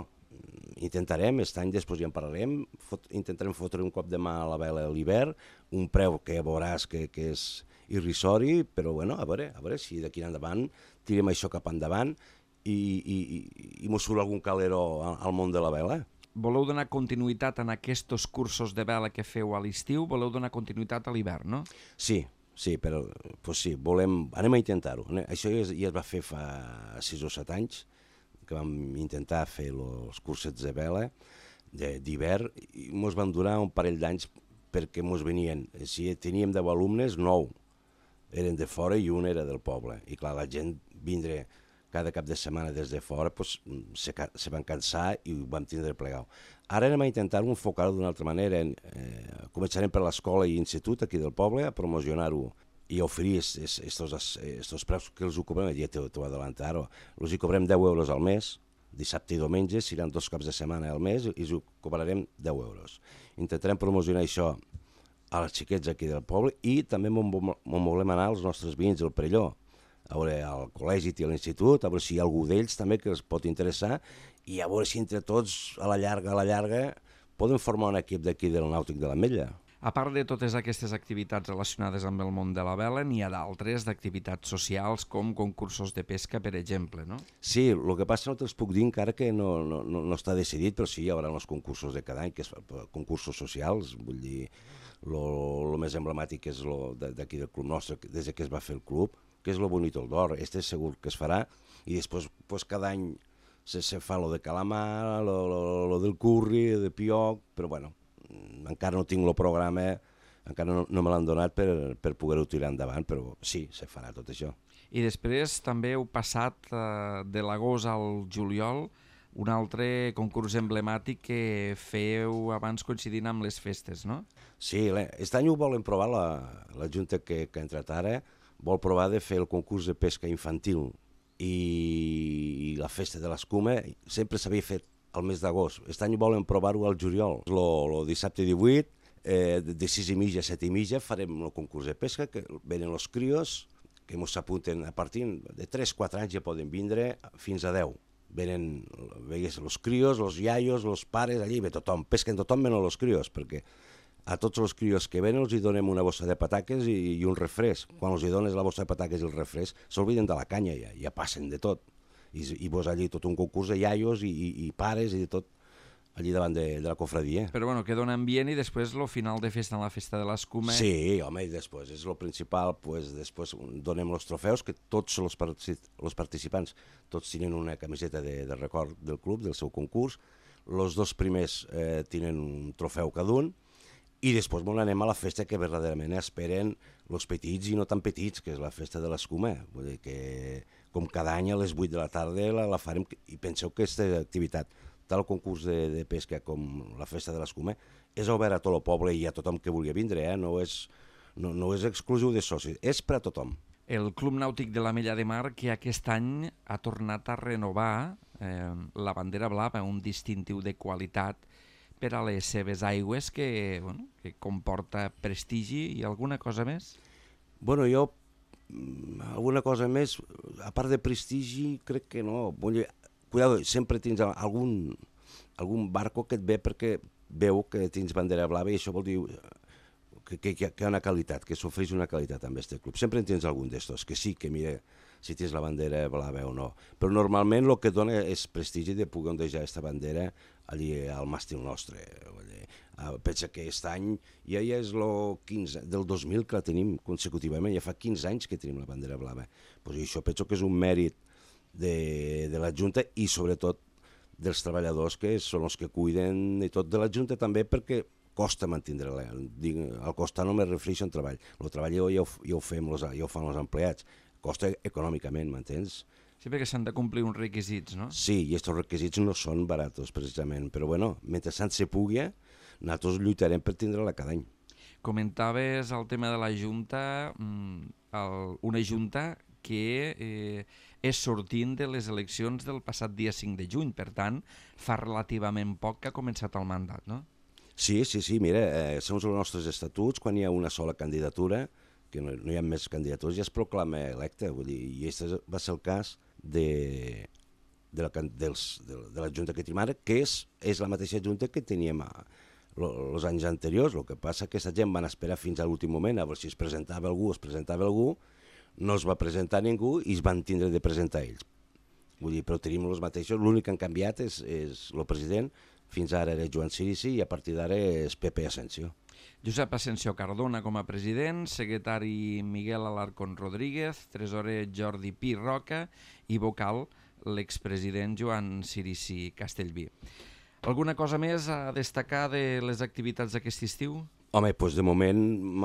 intentarem, aquest any després ja en parlarem, fot, intentarem fotre un cop de mà a la vela a l'hivern, un preu que veuràs que, que és irrisori, però bueno, a veure, a veure si d'aquí endavant tirem això cap endavant i, i, i, i mos surt algun calero al món de la vela. Voleu donar continuïtat en aquests cursos de vela que feu a l'estiu, voleu donar continuïtat a l'hivern, no? Sí, sí, però pues sí, volem, anem a intentar-ho. Això ja es, ja es va fer fa sis o set anys, que vam intentar fer els cursets de vela d'hivern i ens van durar un parell d'anys perquè ens venien, si teníem deu alumnes, nou eren de fora i un era del poble. I clar, la gent vindre cada cap de setmana des de fora pues, se, se van cansar i ho vam tindre plegat. Ara anem a intentar enfocar-ho d'una altra manera. Eh, començarem per l'escola i institut aquí del poble a promocionar-ho i a oferir aquests preus que els ho cobrem, ja t'ho adelantar, els hi cobrem deu euros al mes, dissabte i diumenge, seran dos caps de setmana al mes i els ho cobrarem deu euros. Intentarem promocionar això a les xiquets aquí del poble i també m'on volem anar als nostres veïns del Perelló, a veure al col·legi i a l'institut, a veure si hi ha algú d'ells també que els pot interessar i a veure si entre tots, a la llarga, a la llarga, poden formar un equip d'aquí del Nàutic de l'Ametlla. A part de totes aquestes activitats relacionades amb el món de la vela, n'hi ha d'altres d'activitats socials com concursos de pesca, per exemple, no? Sí, el que passa no te'ls puc dir encara que no, no, no, no està decidit, però sí, hi haurà els concursos de cada any, que és concursos socials, vull dir, el més emblemàtic és d'aquí del club nostre, des que es va fer el club, que és lo bonito el d'or, este segur que es farà, i després pues, cada any se, se fa lo de calamar, lo, lo, lo del curri, de pioc, però bueno, encara no tinc el programa, encara no, no me l'han donat per, per poder-ho tirar endavant, però sí, se farà tot això. I després també heu passat eh, de l'agost al juliol un altre concurs emblemàtic que feu abans coincidint amb les festes, no? Sí, aquest any ho volen provar, la, la Junta que, que ha entrat ara, vol provar de fer el concurs de pesca infantil i la festa de l'escuma sempre s'havia fet al mes d'agost. Aquest any volen provar-ho al juliol. El dissabte divuit, eh, de sis i mitja a set i mitja, farem el concurs de pesca, que venen els crios, que ens s'apunten a partir de tres o quatre anys ja poden vindre fins a deu. Venen els crios, els iaios, els pares, allí ve tothom, pesquen tothom menys els crios, perquè a tots els crios que venen els hi donem una bossa de pataques i, i un refresc. Quan els hi dones la bossa de pataques i el refresc, s'olviden de la canya, ja, ja passen de tot. I, i vos allí tot un concurs de iaios i, i, i pares i de tot allí davant de, de la cofradia. Però bueno, que dona ambient i després el final de festa en la festa de l'escuma. Sí, home, i després és el principal, pues, després donem els trofeus, que tots els, els participants tots tenen una camiseta de, de record del club, del seu concurs, els dos primers eh, tenen un trofeu cada un, i després bon, anem a la festa que verdaderament esperen els petits i no tan petits, que és la festa de l'escuma. Vull dir que com cada any a les vuit de la tarda la, la farem, i penseu que aquesta activitat, tal el concurs de, de pesca com la festa de l'escuma, és obert a tot el poble i a tothom que vulgui vindre, eh? no, és, no, no és exclusiu de socis, és per a tothom. El Club Nàutic de l'Ametlla de Mar, que aquest any ha tornat a renovar eh, la bandera blava, un distintiu de qualitat per a les seves aigües que, bueno, que comporta prestigi i alguna cosa més? Bueno, jo, alguna cosa més, a part de prestigi, crec que no. Cuidado, sempre tens algun, algun barco que et ve perquè veu que tens bandera blava i això vol dir que, que, que hi ha una qualitat, que s'ofereix una qualitat amb aquest club. Sempre en tens algun d'estos, que sí, que mira si tens la bandera blava o no. Però normalment el que dona és prestigi de poder ondejar aquesta bandera allí al màstil nostre. Pensa que aquest any ja, ja és el quinze, del dos mil que la tenim consecutivament, ja fa quinze anys que tenim la bandera blava. Pues això penso que és un mèrit de, de la Junta i sobretot dels treballadors que són els que cuiden i tot de la Junta també, perquè costa mantindre-la. Al costar no me refereixo en treball. El treball ja ho, ja ho fem, ja ho fan els empleats. Costa econòmicament, m'entens? Sí, perquè s'han de complir uns requisits, no? Sí, i aquests requisits no són baratos, precisament. Però bueno, mentre tant se pugui, nosaltres lluitarem per tindre-la cada any. Comentaves el tema de la Junta, el, una Junta que eh, és sortint de les eleccions del passat dia cinc de juny, per tant, fa relativament poc que ha començat el mandat, no? Sí, sí, sí, mira, eh, segons els nostres estatuts, quan hi ha una sola candidatura, que no, no hi ha més candidatures, ja es proclama electe, vull dir, i aquest va ser el cas de, de, la, dels, de, de la Junta que tenim ara, que és, és la mateixa Junta que teníem a, els anys anteriors. El que passa que aquesta gent van esperar fins a l'últim moment a veure si es presentava algú, es presentava algú, no es va presentar ningú i es van tindre de presentar ells. Vull dir, però tenim els mateixos, l'únic que han canviat és, és el president. Fins ara era Joan Cirici i a partir d'ara és Pepe Asensio. Josep Asensio Cardona com a president, secretari Miguel Alarcón Rodríguez, tresorer Jordi Pi Roca i vocal l'expresident Joan Cirici Castellví. Alguna cosa més a destacar de les activitats d'aquest estiu? Home, doncs de moment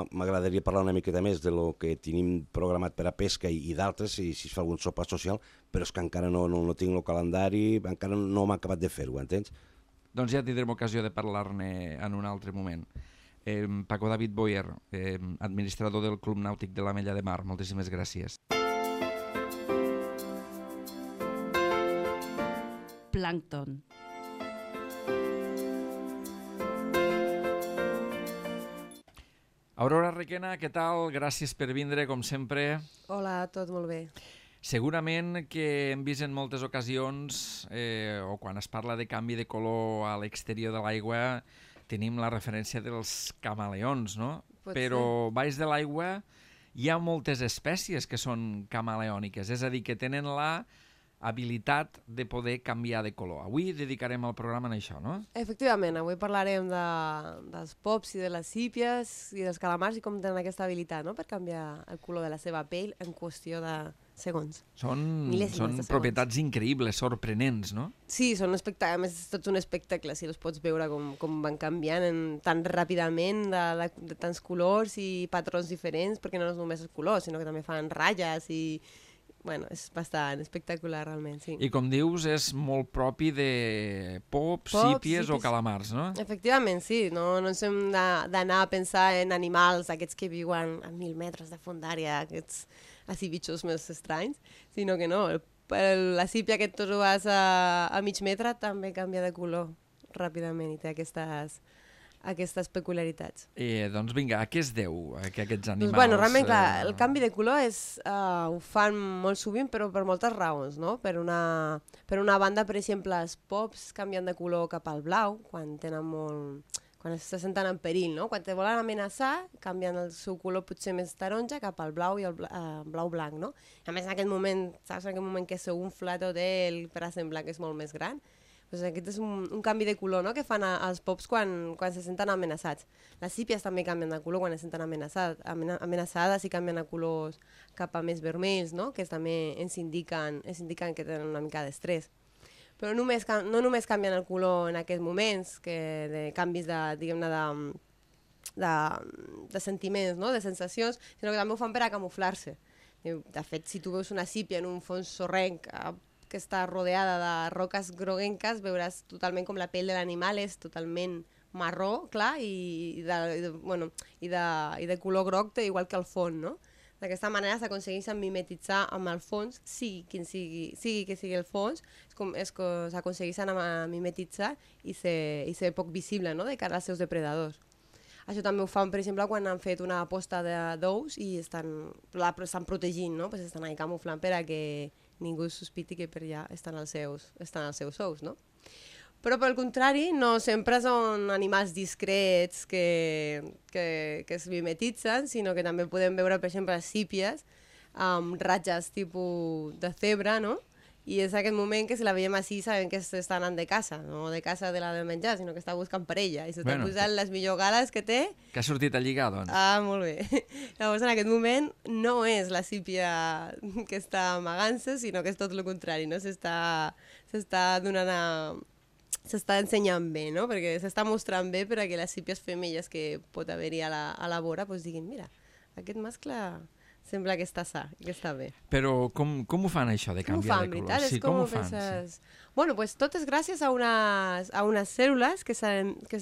m'agradaria parlar una miqueta més de lo que tenim programat per a pesca i, i d'altres, si, si es fa algun sopar social, però és que encara no, no, no tinc el calendari, encara no m'ha acabat de fer-ho, entens? Doncs ja tindrem ocasió de parlar-ne en un altre moment. Eh, Paco David Boyer, eh, administrador del Club Nàutic de l'Ametlla de Mar, moltíssimes gràcies. Plàncton. Aurora Requena, què tal? Gràcies per vindre, com sempre. Hola, tot molt bé. Segurament que hem vist en moltes ocasions, eh, o quan es parla de canvi de color a l'exterior de l'aigua, tenim la referència dels camaleons, no? Pot Però ser. baix de l'aigua hi ha moltes espècies que són camaleòniques, és a dir, que tenen la habilitat de poder canviar de color. Avui dedicarem el programa a això, no? Efectivament, avui parlarem de, dels pops i de les sípies i dels calamars i com tenen aquesta habilitat, no?, per canviar el color de la seva pell en qüestió de segons. Són, Mil·lèsimes són de segons. propietats increïbles, sorprenents, no? Sí, són un espectacle, a més és tot un espectacle, si els pots veure com, com van canviant en, tan ràpidament de, de, de tants colors i patrons diferents, perquè no és només el color, sinó que també fan ratlles i... Bueno, és bastant espectacular, realment, sí. I com dius, és molt propi de pops, Pops, sípies o sípies. calamars, no? Efectivament, sí. No, no ens hem de- d'anar a pensar en animals, aquests que viuen a mil metres de fondària, aquests així bitxos més estranys, sinó que no, el, el, la sípia que et trobes a, a mig metre també canvia de color ràpidament i té aquestes, aquestes peculiaritats. Eh, doncs vinga, a què es deu a que aquests animals... Doncs, bueno, realment, clar, eh, el canvi de color és, uh, ho fan molt sovint, però per moltes raons, no? Per una, per una banda, per exemple, els pops canvien de color cap al blau, quan tenen molt... quan se senten en perill, no? Quan te volen amenaçar, canvien el seu color potser més taronja cap al blau i el bla, uh, blau-blanc, no? A més, en aquest moment, saps, en aquest moment que s'unfla tot ell per a semblar que és molt més gran, pues aquest és un, un canvi de color, no?, que fan a, als pops quan, quan se senten amenaçats. Les sípies també canvien de color quan es senten amenaçat, amena, amenaçades i canvien a colors cap a més vermells, no?, que també ens indiquen, ens indiquen que tenen una mica d'estrès. Però només, no només canvien el color en aquests moments, que de canvis de, diguem-ne, de, de, de sentiments, no?, de sensacions, sinó que també ho fan per a camuflar-se. De fet, si tu veus una sípia en un fons sorrenc que està rodeada de roques groguenques, veuràs totalment com la pell de l'animal és totalment marró, clar, i de, i de, bueno, i de, i de color groc, igual que el fons, no? D'aquesta manera s'aconsegueixen mimetitzar amb el fons, sigui quin sigui, sigui que sigui el fons, s'aconsegueixen mimetitzar i ser, i ser poc visible, no?, de cara als seus depredadors. Això també ho fan, per exemple, quan han fet una posta d'ous i estan, estan protegint, no?, pues estan ahí camuflant per a que ningú sospiti que per allà estan els seus, estan els seus ous, no? Però, pel contrari, no sempre són animals discrets que, que, que es mimetitzen, sinó que també podem veure, per exemple, sípies amb ratges tipus de zebra, no? I és aquest moment que si la veiem així sabem que està anant de caça, no de caça de la de menjar, sinó que està buscant parella i s'està bueno, posant les millors gales que té. Que ha sortit a lligar, doncs. Ah, molt bé. Llavors, en aquest moment no és la sípia que està amagant-se, sinó que és tot el contrari, no? S'està donant a... s'està ensenyant bé, no? Perquè s'està mostrant bé per a que les sípies femelles que pot haver-hi a, la, a la vora pues, diguin, mira, aquest mascle sembla que està sa, que està bé. Però com, com ho fan això de canviar fan, de color? Veritat? Sí, com, com ho ho fan? Penses... Sí. Bueno, pues tot és gràcies a unes, a unes cèl·lules que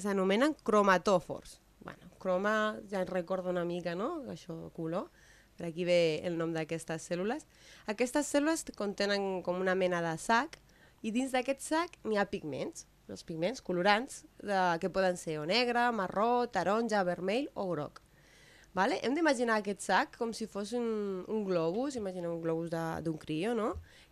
s'anomenen cromatòfors. Bueno, croma, ja en recordo una mica, no?, això, color. Per aquí ve el nom d'aquestes cèl·lules. Aquestes cèl·lules contenen com una mena de sac i dins d'aquest sac n'hi ha pigments. Els pigments colorants, de, que poden ser o negre, marró, taronja, vermell o groc. Vale? Hem d'imaginar aquest sac com si fos un, un globus, imaginem un globus d'un crio, no?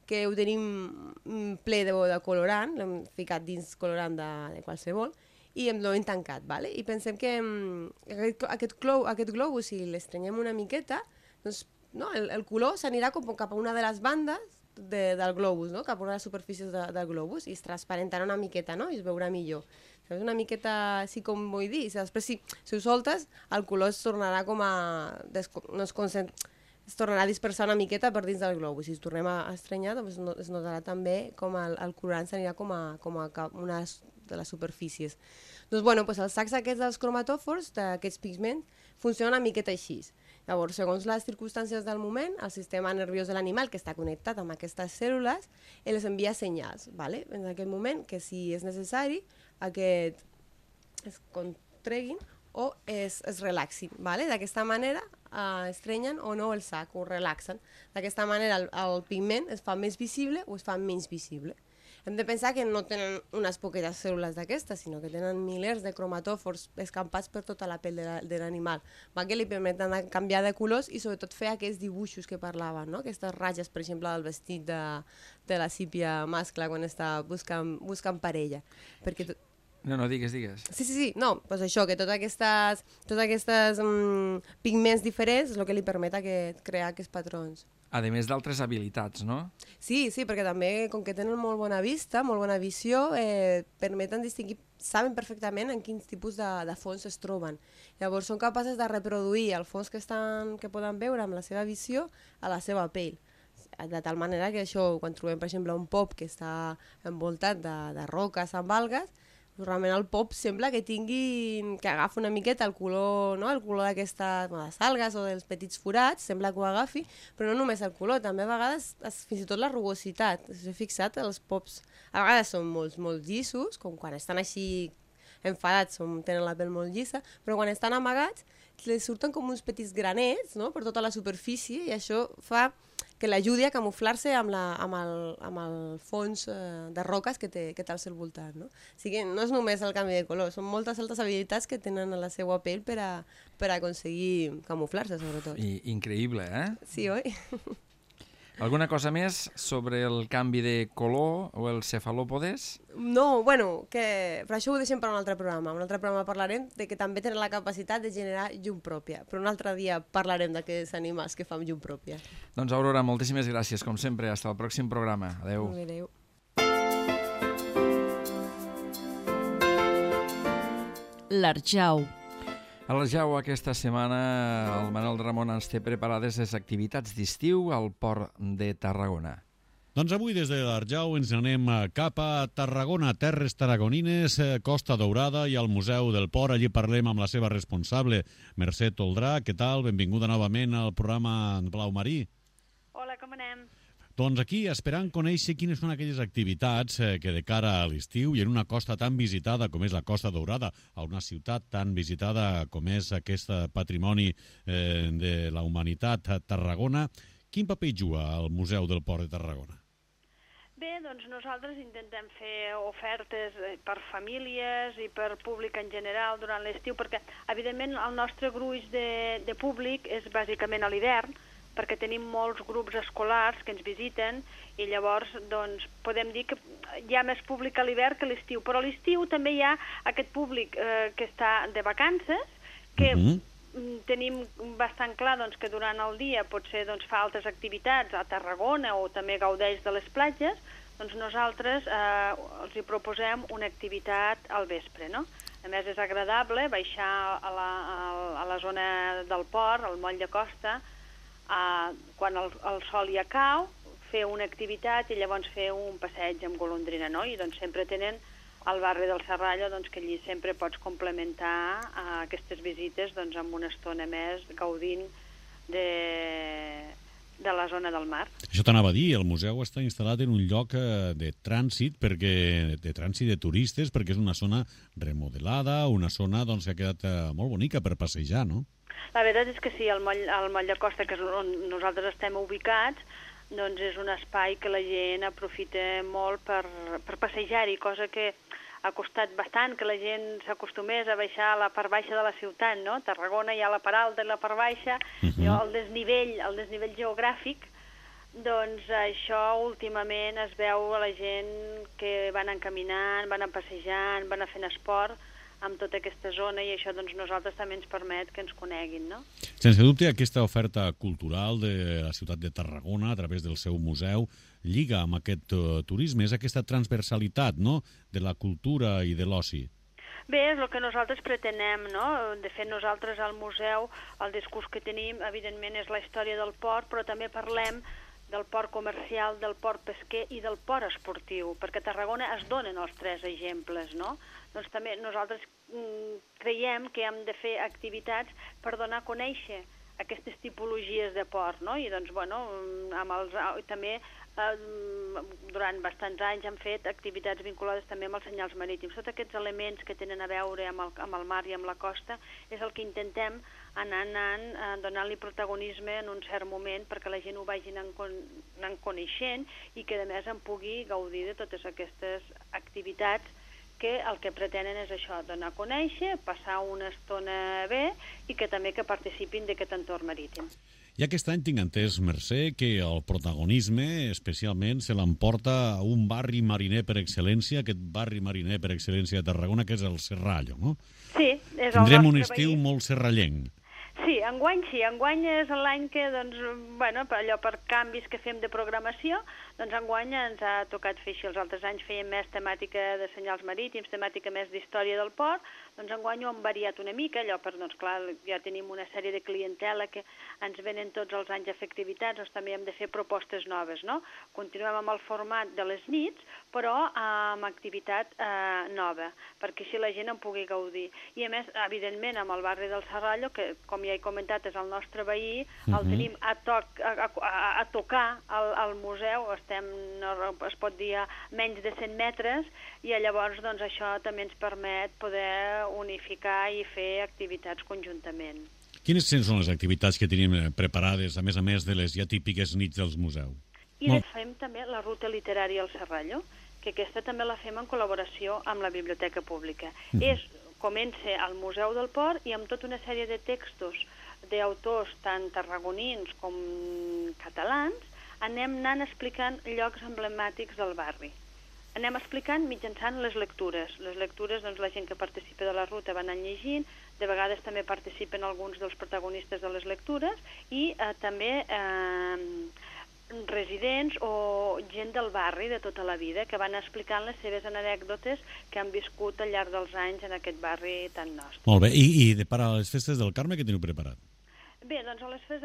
Que ho tenim ple de, de colorant, l'hem ficat dins colorant de, de qualsevol, i hem, l'hem tancat. Vale? I pensem que aquest, aquest, glo, aquest globus, si l'estrenyem una miqueta, doncs, no, el, el color s'anirà cap a una de les bandes De, del globus, no? Cap a una de les superfícies de, del globus i es transparentarà una miqueta, no? I es veurà millor. És una miqueta així com vull dir, i després si, si ho soltes el color es tornarà com a no es, concent... es tornarà a dispersar una miqueta per dins del globus. Si es tornem a estrenyar, doncs no, es notarà també com el, el colorant s'anirà com a, com a una de les superfícies. Doncs bueno, doncs els sacs aquests dels cromatòfors, d'aquests pigments, funcionen una miqueta així. Llavors, segons les circumstàncies del moment, el sistema nerviós de l'animal, que està connectat amb aquestes cèl·lules, els envia senyals, ¿vale? En aquest moment, que si és necessari, aquest es contreguin o es, es relaxin. ¿Vale? D'aquesta manera eh, estrenyen o no el sac, o relaxen. D'aquesta manera el, el pigment es fa més visible o es fa menys visible. Hem de pensar que no tenen unes poquetes cèl·lules d'aquestes, sinó que tenen milers de cromatòfors escampats per tota la pell de l'animal, que li permeten canviar de colors i sobretot fer aquests dibuixos que parlaven, no? Aquestes ratlles, per exemple, del vestit de, de la sípia mascle quan està buscant, buscant parella. Perquè tot... No, no, digues, digues. Sí, sí, sí. No, doncs això, que totes aquestes, totes aquestes mm, pigments diferents és el que li permet que crear aquests patrons. A més d'altres habilitats, no? Sí, sí, perquè també, com que tenen molt bona vista, molt bona visió, eh, permeten distingir, saben perfectament en quins tipus de, de fons es troben. Llavors són capaces de reproduir el fons que, estan, que poden veure amb la seva visió a la seva pell. De tal manera que això, quan trobem, per exemple, un pop que està envoltat de, de roques amb algues, realment el pop sembla que tingui, que agafa una miqueta el color, no? El color d'aquestes bueno, algues o dels petits forats, sembla que ho agafi, però no només el color, també a vegades es, fins i tot la rugositat. Si heu fixat, els pops a vegades són molt, molt llissos, com quan estan així enfadats, som, tenen la pell molt llissa, però quan estan amagats les surten com uns petits granets, no? Per tota la superfície i això fa que l'ajudi a camuflar-se amb, la, amb, el, amb el fons eh, de roques que té, que té al seu voltant. No? O sigui, no és només el canvi de color, són moltes altres habilitats que tenen a la seva pell per a, per a aconseguir camuflar-se, sobretot. I, increïble, eh? Sí, oi? Alguna cosa més sobre el canvi de color o els cefalòpodes? No, bueno, que per això ho deixem per un altre programa. Un altre programa parlarem de que també tenen la capacitat de generar llum pròpia, però un altre dia parlarem d'aquests animals que fan llum pròpia. Doncs Aurora, moltíssimes gràcies, com sempre. Hasta el pròxim programa. Adéu. Adéu. L'Arjau. A l'Arjau aquesta setmana el Manel Ramon ens té preparades les activitats d'estiu al Port de Tarragona. Doncs avui des de l'Arjau ens anem cap a Tarragona, terres tarragonines, Costa Daurada i al Museu del Port. Allí parlem amb la seva responsable, Mercè Toldrà. Què tal? Benvinguda novament al programa Blau Marí. Doncs aquí, esperant conèixer quines són aquelles activitats eh, que de cara a l'estiu i en una costa tan visitada com és la Costa Daurada, a una ciutat tan visitada com és aquest patrimoni eh, de la humanitat a Tarragona, quin paper juga el Museu del Port de Tarragona? Bé, doncs nosaltres intentem fer ofertes per famílies i per públic en general durant l'estiu, perquè evidentment el nostre gruix de, de públic és bàsicament a l'hivern, perquè tenim molts grups escolars que ens visiten i llavors doncs, podem dir que hi ha més públic a l'hivern que a l'estiu, però a l'estiu també hi ha aquest públic eh, que està de vacances, que mm-hmm. tenim bastant clar doncs, que durant el dia potser doncs, fa altres activitats a Tarragona o també gaudeix de les platges, doncs nosaltres eh, els hi proposem una activitat al vespre, no? A més és agradable baixar a la, a la zona del port, al moll de costa, Uh, quan el, el sol ja cau, fer una activitat i llavors fer un passeig amb golondrina, no? I doncs sempre tenen al barri del Serrallo, doncs, que allí sempre pots complementar uh, aquestes visites doncs, amb una estona més gaudint de, de la zona del mar. Això t'anava a dir, el museu està instal·lat en un lloc uh, de trànsit, perquè, de trànsit de turistes, perquè és una zona remodelada, una zona doncs, que ha quedat uh, molt bonica per passejar, no? La veritat és que sí, el moll, el moll de costa, que és on nosaltres estem ubicats, doncs és un espai que la gent aprofita molt per, per passejar-hi, cosa que ha costat bastant que la gent s'acostumés a baixar a la part baixa de la ciutat, no? Tarragona hi ha la part alta i la part baixa, uh-huh. el desnivell, el desnivell geogràfic, doncs això últimament es veu a la gent que van encaminant, van passejant, van fent esport, amb tota aquesta zona, i això doncs, nosaltres també ens permet que ens coneguin, no? Sense dubte, aquesta oferta cultural de la ciutat de Tarragona, a través del seu museu, lliga amb aquest uh, turisme, és aquesta transversalitat, no?, de la cultura i de l'oci. Bé, és el que nosaltres pretenem, no? De fet, nosaltres al museu, el discurs que tenim, evidentment, és la història del port, però també parlem del port comercial, del port pesquer i del port esportiu, perquè a Tarragona es donen els tres exemples, no? Doncs també nosaltres mm, creiem que hem de fer activitats per donar a conèixer aquestes tipologies de port, no? I doncs, bueno, amb els, també eh, durant bastants anys hem fet activitats vinculades també amb els senyals marítims. Tots aquests elements que tenen a veure amb el, amb el mar i amb la costa és el que intentem anar anant, eh, donant-li protagonisme en un cert moment perquè la gent ho vagi anant, con, anant coneixent i que a més en pugui gaudir de totes aquestes activitats que el que pretenen és això, donar a conèixer, passar una estona bé i que també que participin d'aquest entorn marítim. I aquest any tinc entès, Mercè, que el protagonisme especialment se l'emporta un barri mariner per excel·lència, aquest barri mariner per excel·lència de Tarragona, que és el Serrallo, no? Sí, és el Tindrem un nostre estiu veí. molt serrallenc. Sí, enguany sí, enguany és l'any que, doncs, bueno, per allò per canvis que fem de programació, doncs enguany ens ha tocat fer així. Els altres anys fèiem més temàtica de senyals marítims, temàtica més d'història del port, doncs enguany ho hem variat una mica, allò per, doncs clar, ja tenim una sèrie de clientela que ens venen tots els anys a fer activitats, doncs també hem de fer propostes noves, no? Continuem amb el format de les nits, però amb activitat eh, nova, perquè així la gent en pugui gaudir. I a més, evidentment, amb el barri del Serrallo, que com ja he comentat és el nostre veí, el uh-huh. tenim a, toc, a, a, a tocar al, al museu, estem, no, es pot dir, a menys de cent metres, i llavors doncs, això també ens permet poder unificar i fer activitats conjuntament. Quines són les activitats que tenim preparades, a més a més de les ja típiques nits dels museus? I Molt... fem també la ruta literària al Serrallo, que aquesta també la fem en col·laboració amb la Biblioteca Pública. Uh-huh. És comença al Museu del Port i amb tota una sèrie de textos d'autors tant tarragonins com catalans anem anant explicant llocs emblemàtics del barri. Anem explicant mitjançant les lectures. Les lectures, doncs, la gent que participa de la ruta va anant llegint, de vegades també participen alguns dels protagonistes de les lectures i eh, també eh, residents o gent del barri de tota la vida que van explicant les seves anècdotes que han viscut al llarg dels anys en aquest barri tan nostre. Molt bé, i, i de part a les festes del Carme, què teniu preparat? Bé, doncs a les fes...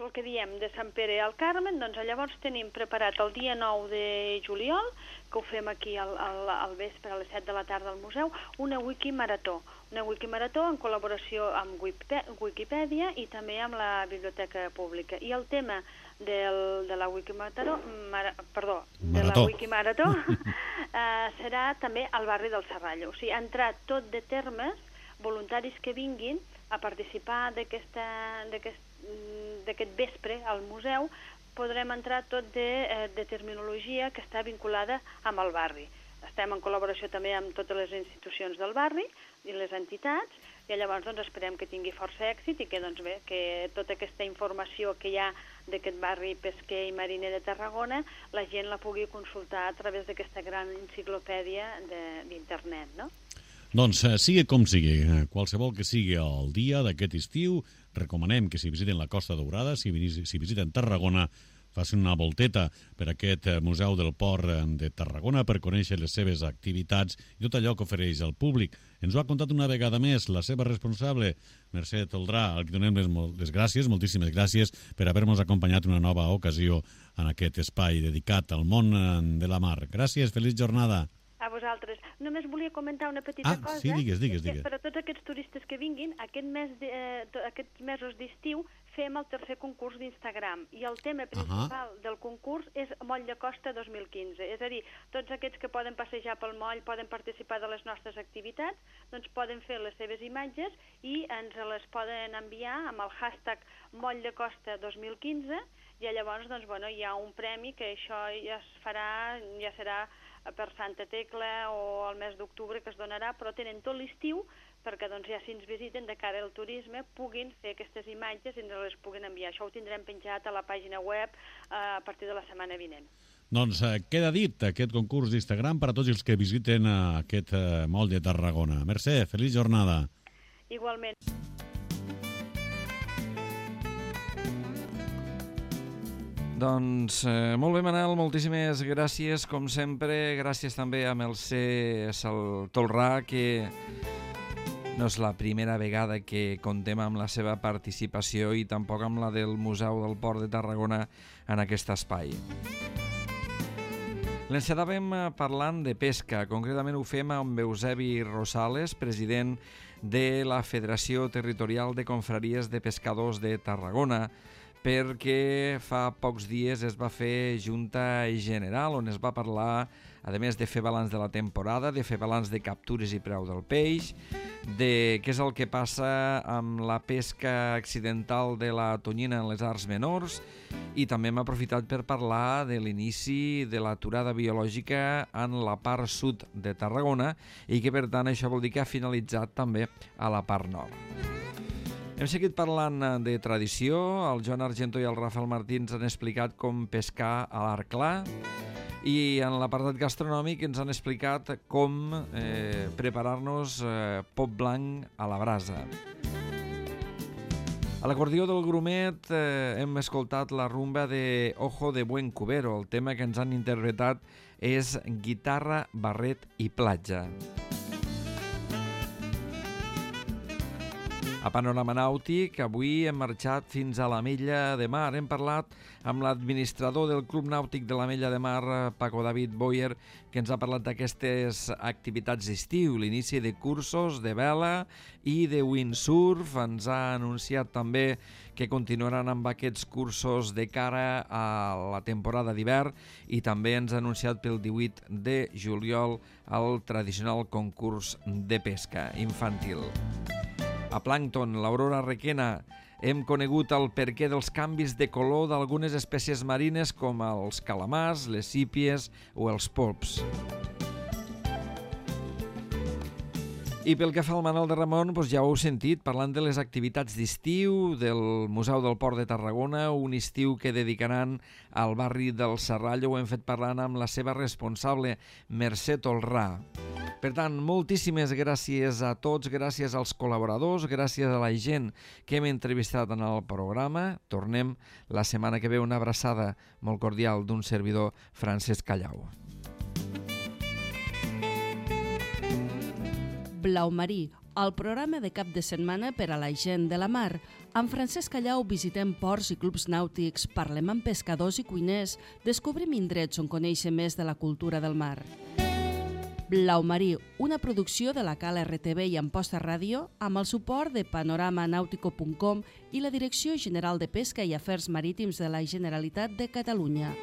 el que diem de Sant Pere al Carmen, doncs llavors tenim preparat el dia nou de juliol, que ho fem aquí al, al, al vespre a les set de la tarda al museu, una wikimarató. Una wikimarató en col·laboració amb Wikipedia i també amb la Biblioteca Pública. I el tema del, de la wikimarató, mara, perdó, de Marató. la wikimarató eh, serà també al barri del Serrallo. O sigui, ha entrat tot de termes voluntaris que vinguin a participar d'aquest vespre al museu, podrem entrar tot de, de terminologia que està vinculada amb el barri. Estem en col·laboració també amb totes les institucions del barri i les entitats, i llavors doncs, esperem que tingui força èxit i que, doncs, bé, que tota aquesta informació que hi ha d'aquest barri pesquer i mariner de Tarragona, la gent la pugui consultar a través d'aquesta gran enciclopèdia d'internet, no? Doncs eh, sigui com sigui, eh, qualsevol que sigui el dia d'aquest estiu, recomanem que si visiten la Costa Daurada, si, si visiten Tarragona, facin una volteta per aquest Museu del Port de Tarragona per conèixer les seves activitats i tot allò que ofereix al públic. Ens ho ha contat una vegada més la seva responsable, Mercè Toldrà, al que donem les, les gràcies, moltíssimes gràcies per haver-nos acompanyat una nova ocasió en aquest espai dedicat al món de la mar. Gràcies, feliç jornada. A vosaltres. Només volia comentar una petita ah, cosa. Ah, sí, digues, digues, digues. Per a tots aquests turistes que vinguin, aquest mes de, eh, aquests mesos d'estiu fem el tercer concurs d'Instagram i el tema principal uh -huh. del concurs és Moll de Costa dos mil quinze. És a dir, tots aquests que poden passejar pel moll, poden participar de les nostres activitats, doncs poden fer les seves imatges i ens les poden enviar amb el hashtag Moll de Costa dos mil quinze i llavors doncs, bueno, hi ha un premi que això ja es farà, ja serà per Santa Tecla o al mes d'octubre que es donarà, però tenen tot l'estiu perquè doncs, ja si ens visiten de cara al turisme puguin fer aquestes imatges i ens les puguin enviar. Això ho tindrem penjat a la pàgina web eh, a partir de la setmana vinent. Doncs eh, queda dit aquest concurs d'Instagram per a tots els que visiten eh, aquest eh, moll de Tarragona. Mercè, feliç jornada. Igualment. Doncs eh, molt bé, Manel, moltíssimes gràcies, com sempre. Gràcies també a Mercè Toldrà, que no és la primera vegada que contem amb la seva participació i tampoc amb la del Museu del Port de Tarragona en aquest espai. L'encetàvem parlant de pesca, concretament ho fem amb Eusebi Rosales, president de la Federació Territorial de Confraries de Pescadors de Tarragona, perquè fa pocs dies es va fer Junta General on es va parlar, a més de fer balanç de la temporada, de fer balanç de captures i preu del peix, de què és el que passa amb la pesca accidental de la tonyina en les arts menors, i també hem aprofitat per parlar de l'inici de l'aturada biològica en la part sud de Tarragona i que per tant això vol dir que ha finalitzat també a la part nord. Hem seguit parlant de tradició, el Joan Argento i el Rafael Martí ens han explicat com pescar a l'arc clar i en l'apartat gastronòmic ens han explicat com eh, preparar-nos eh, pop blanc a la brasa. A l'acordió del Grumet eh, hem escoltat la rumba de Ojo de Buen Cubero. El tema que ens han interpretat és guitarra, barret i platja. A Panorama Nàutic, avui hem marxat fins a l'Ametlla de Mar. Hem parlat amb l'administrador del Club Nàutic de l'Ametlla de Mar, Paco David Boyer, que ens ha parlat d'aquestes activitats d'estiu, l'inici de cursos de vela i de windsurf. Ens ha anunciat també que continuaran amb aquests cursos de cara a la temporada d'hivern i també ens ha anunciat pel divuit de juliol el tradicional concurs de pesca infantil. A Plàncton, l'Aurora Requena, hem conegut el perquè dels canvis de color d'algunes espècies marines com els calamars, les sípies o els polps. I pel que fa al Manel de Ramon, doncs ja ho heu sentit, parlant de les activitats d'estiu del Museu del Port de Tarragona, un estiu que dedicaran al barri del Serrallo. Ho hem fet parlant amb la seva responsable, Mercè Toldrà. Per tant, moltíssimes gràcies a tots, gràcies als col·laboradors, gràcies a la gent que hem entrevistat en el programa. Tornem la setmana que ve. Una abraçada molt cordial d'un servidor, Francesc Callau. Blau marí, el programa de cap de setmana per a la gent de la mar. Amb Francesc Callau visitem ports i clubs nàutics, parlem amb pescadors i cuiners, descobrim indrets on conèixer més de la cultura del mar. Blau Marí, una producció de la Cala R T V i Amposta Ràdio, amb el suport de panorama nautico punt com i la Direcció General de Pesca i Afers Marítims de la Generalitat de Catalunya.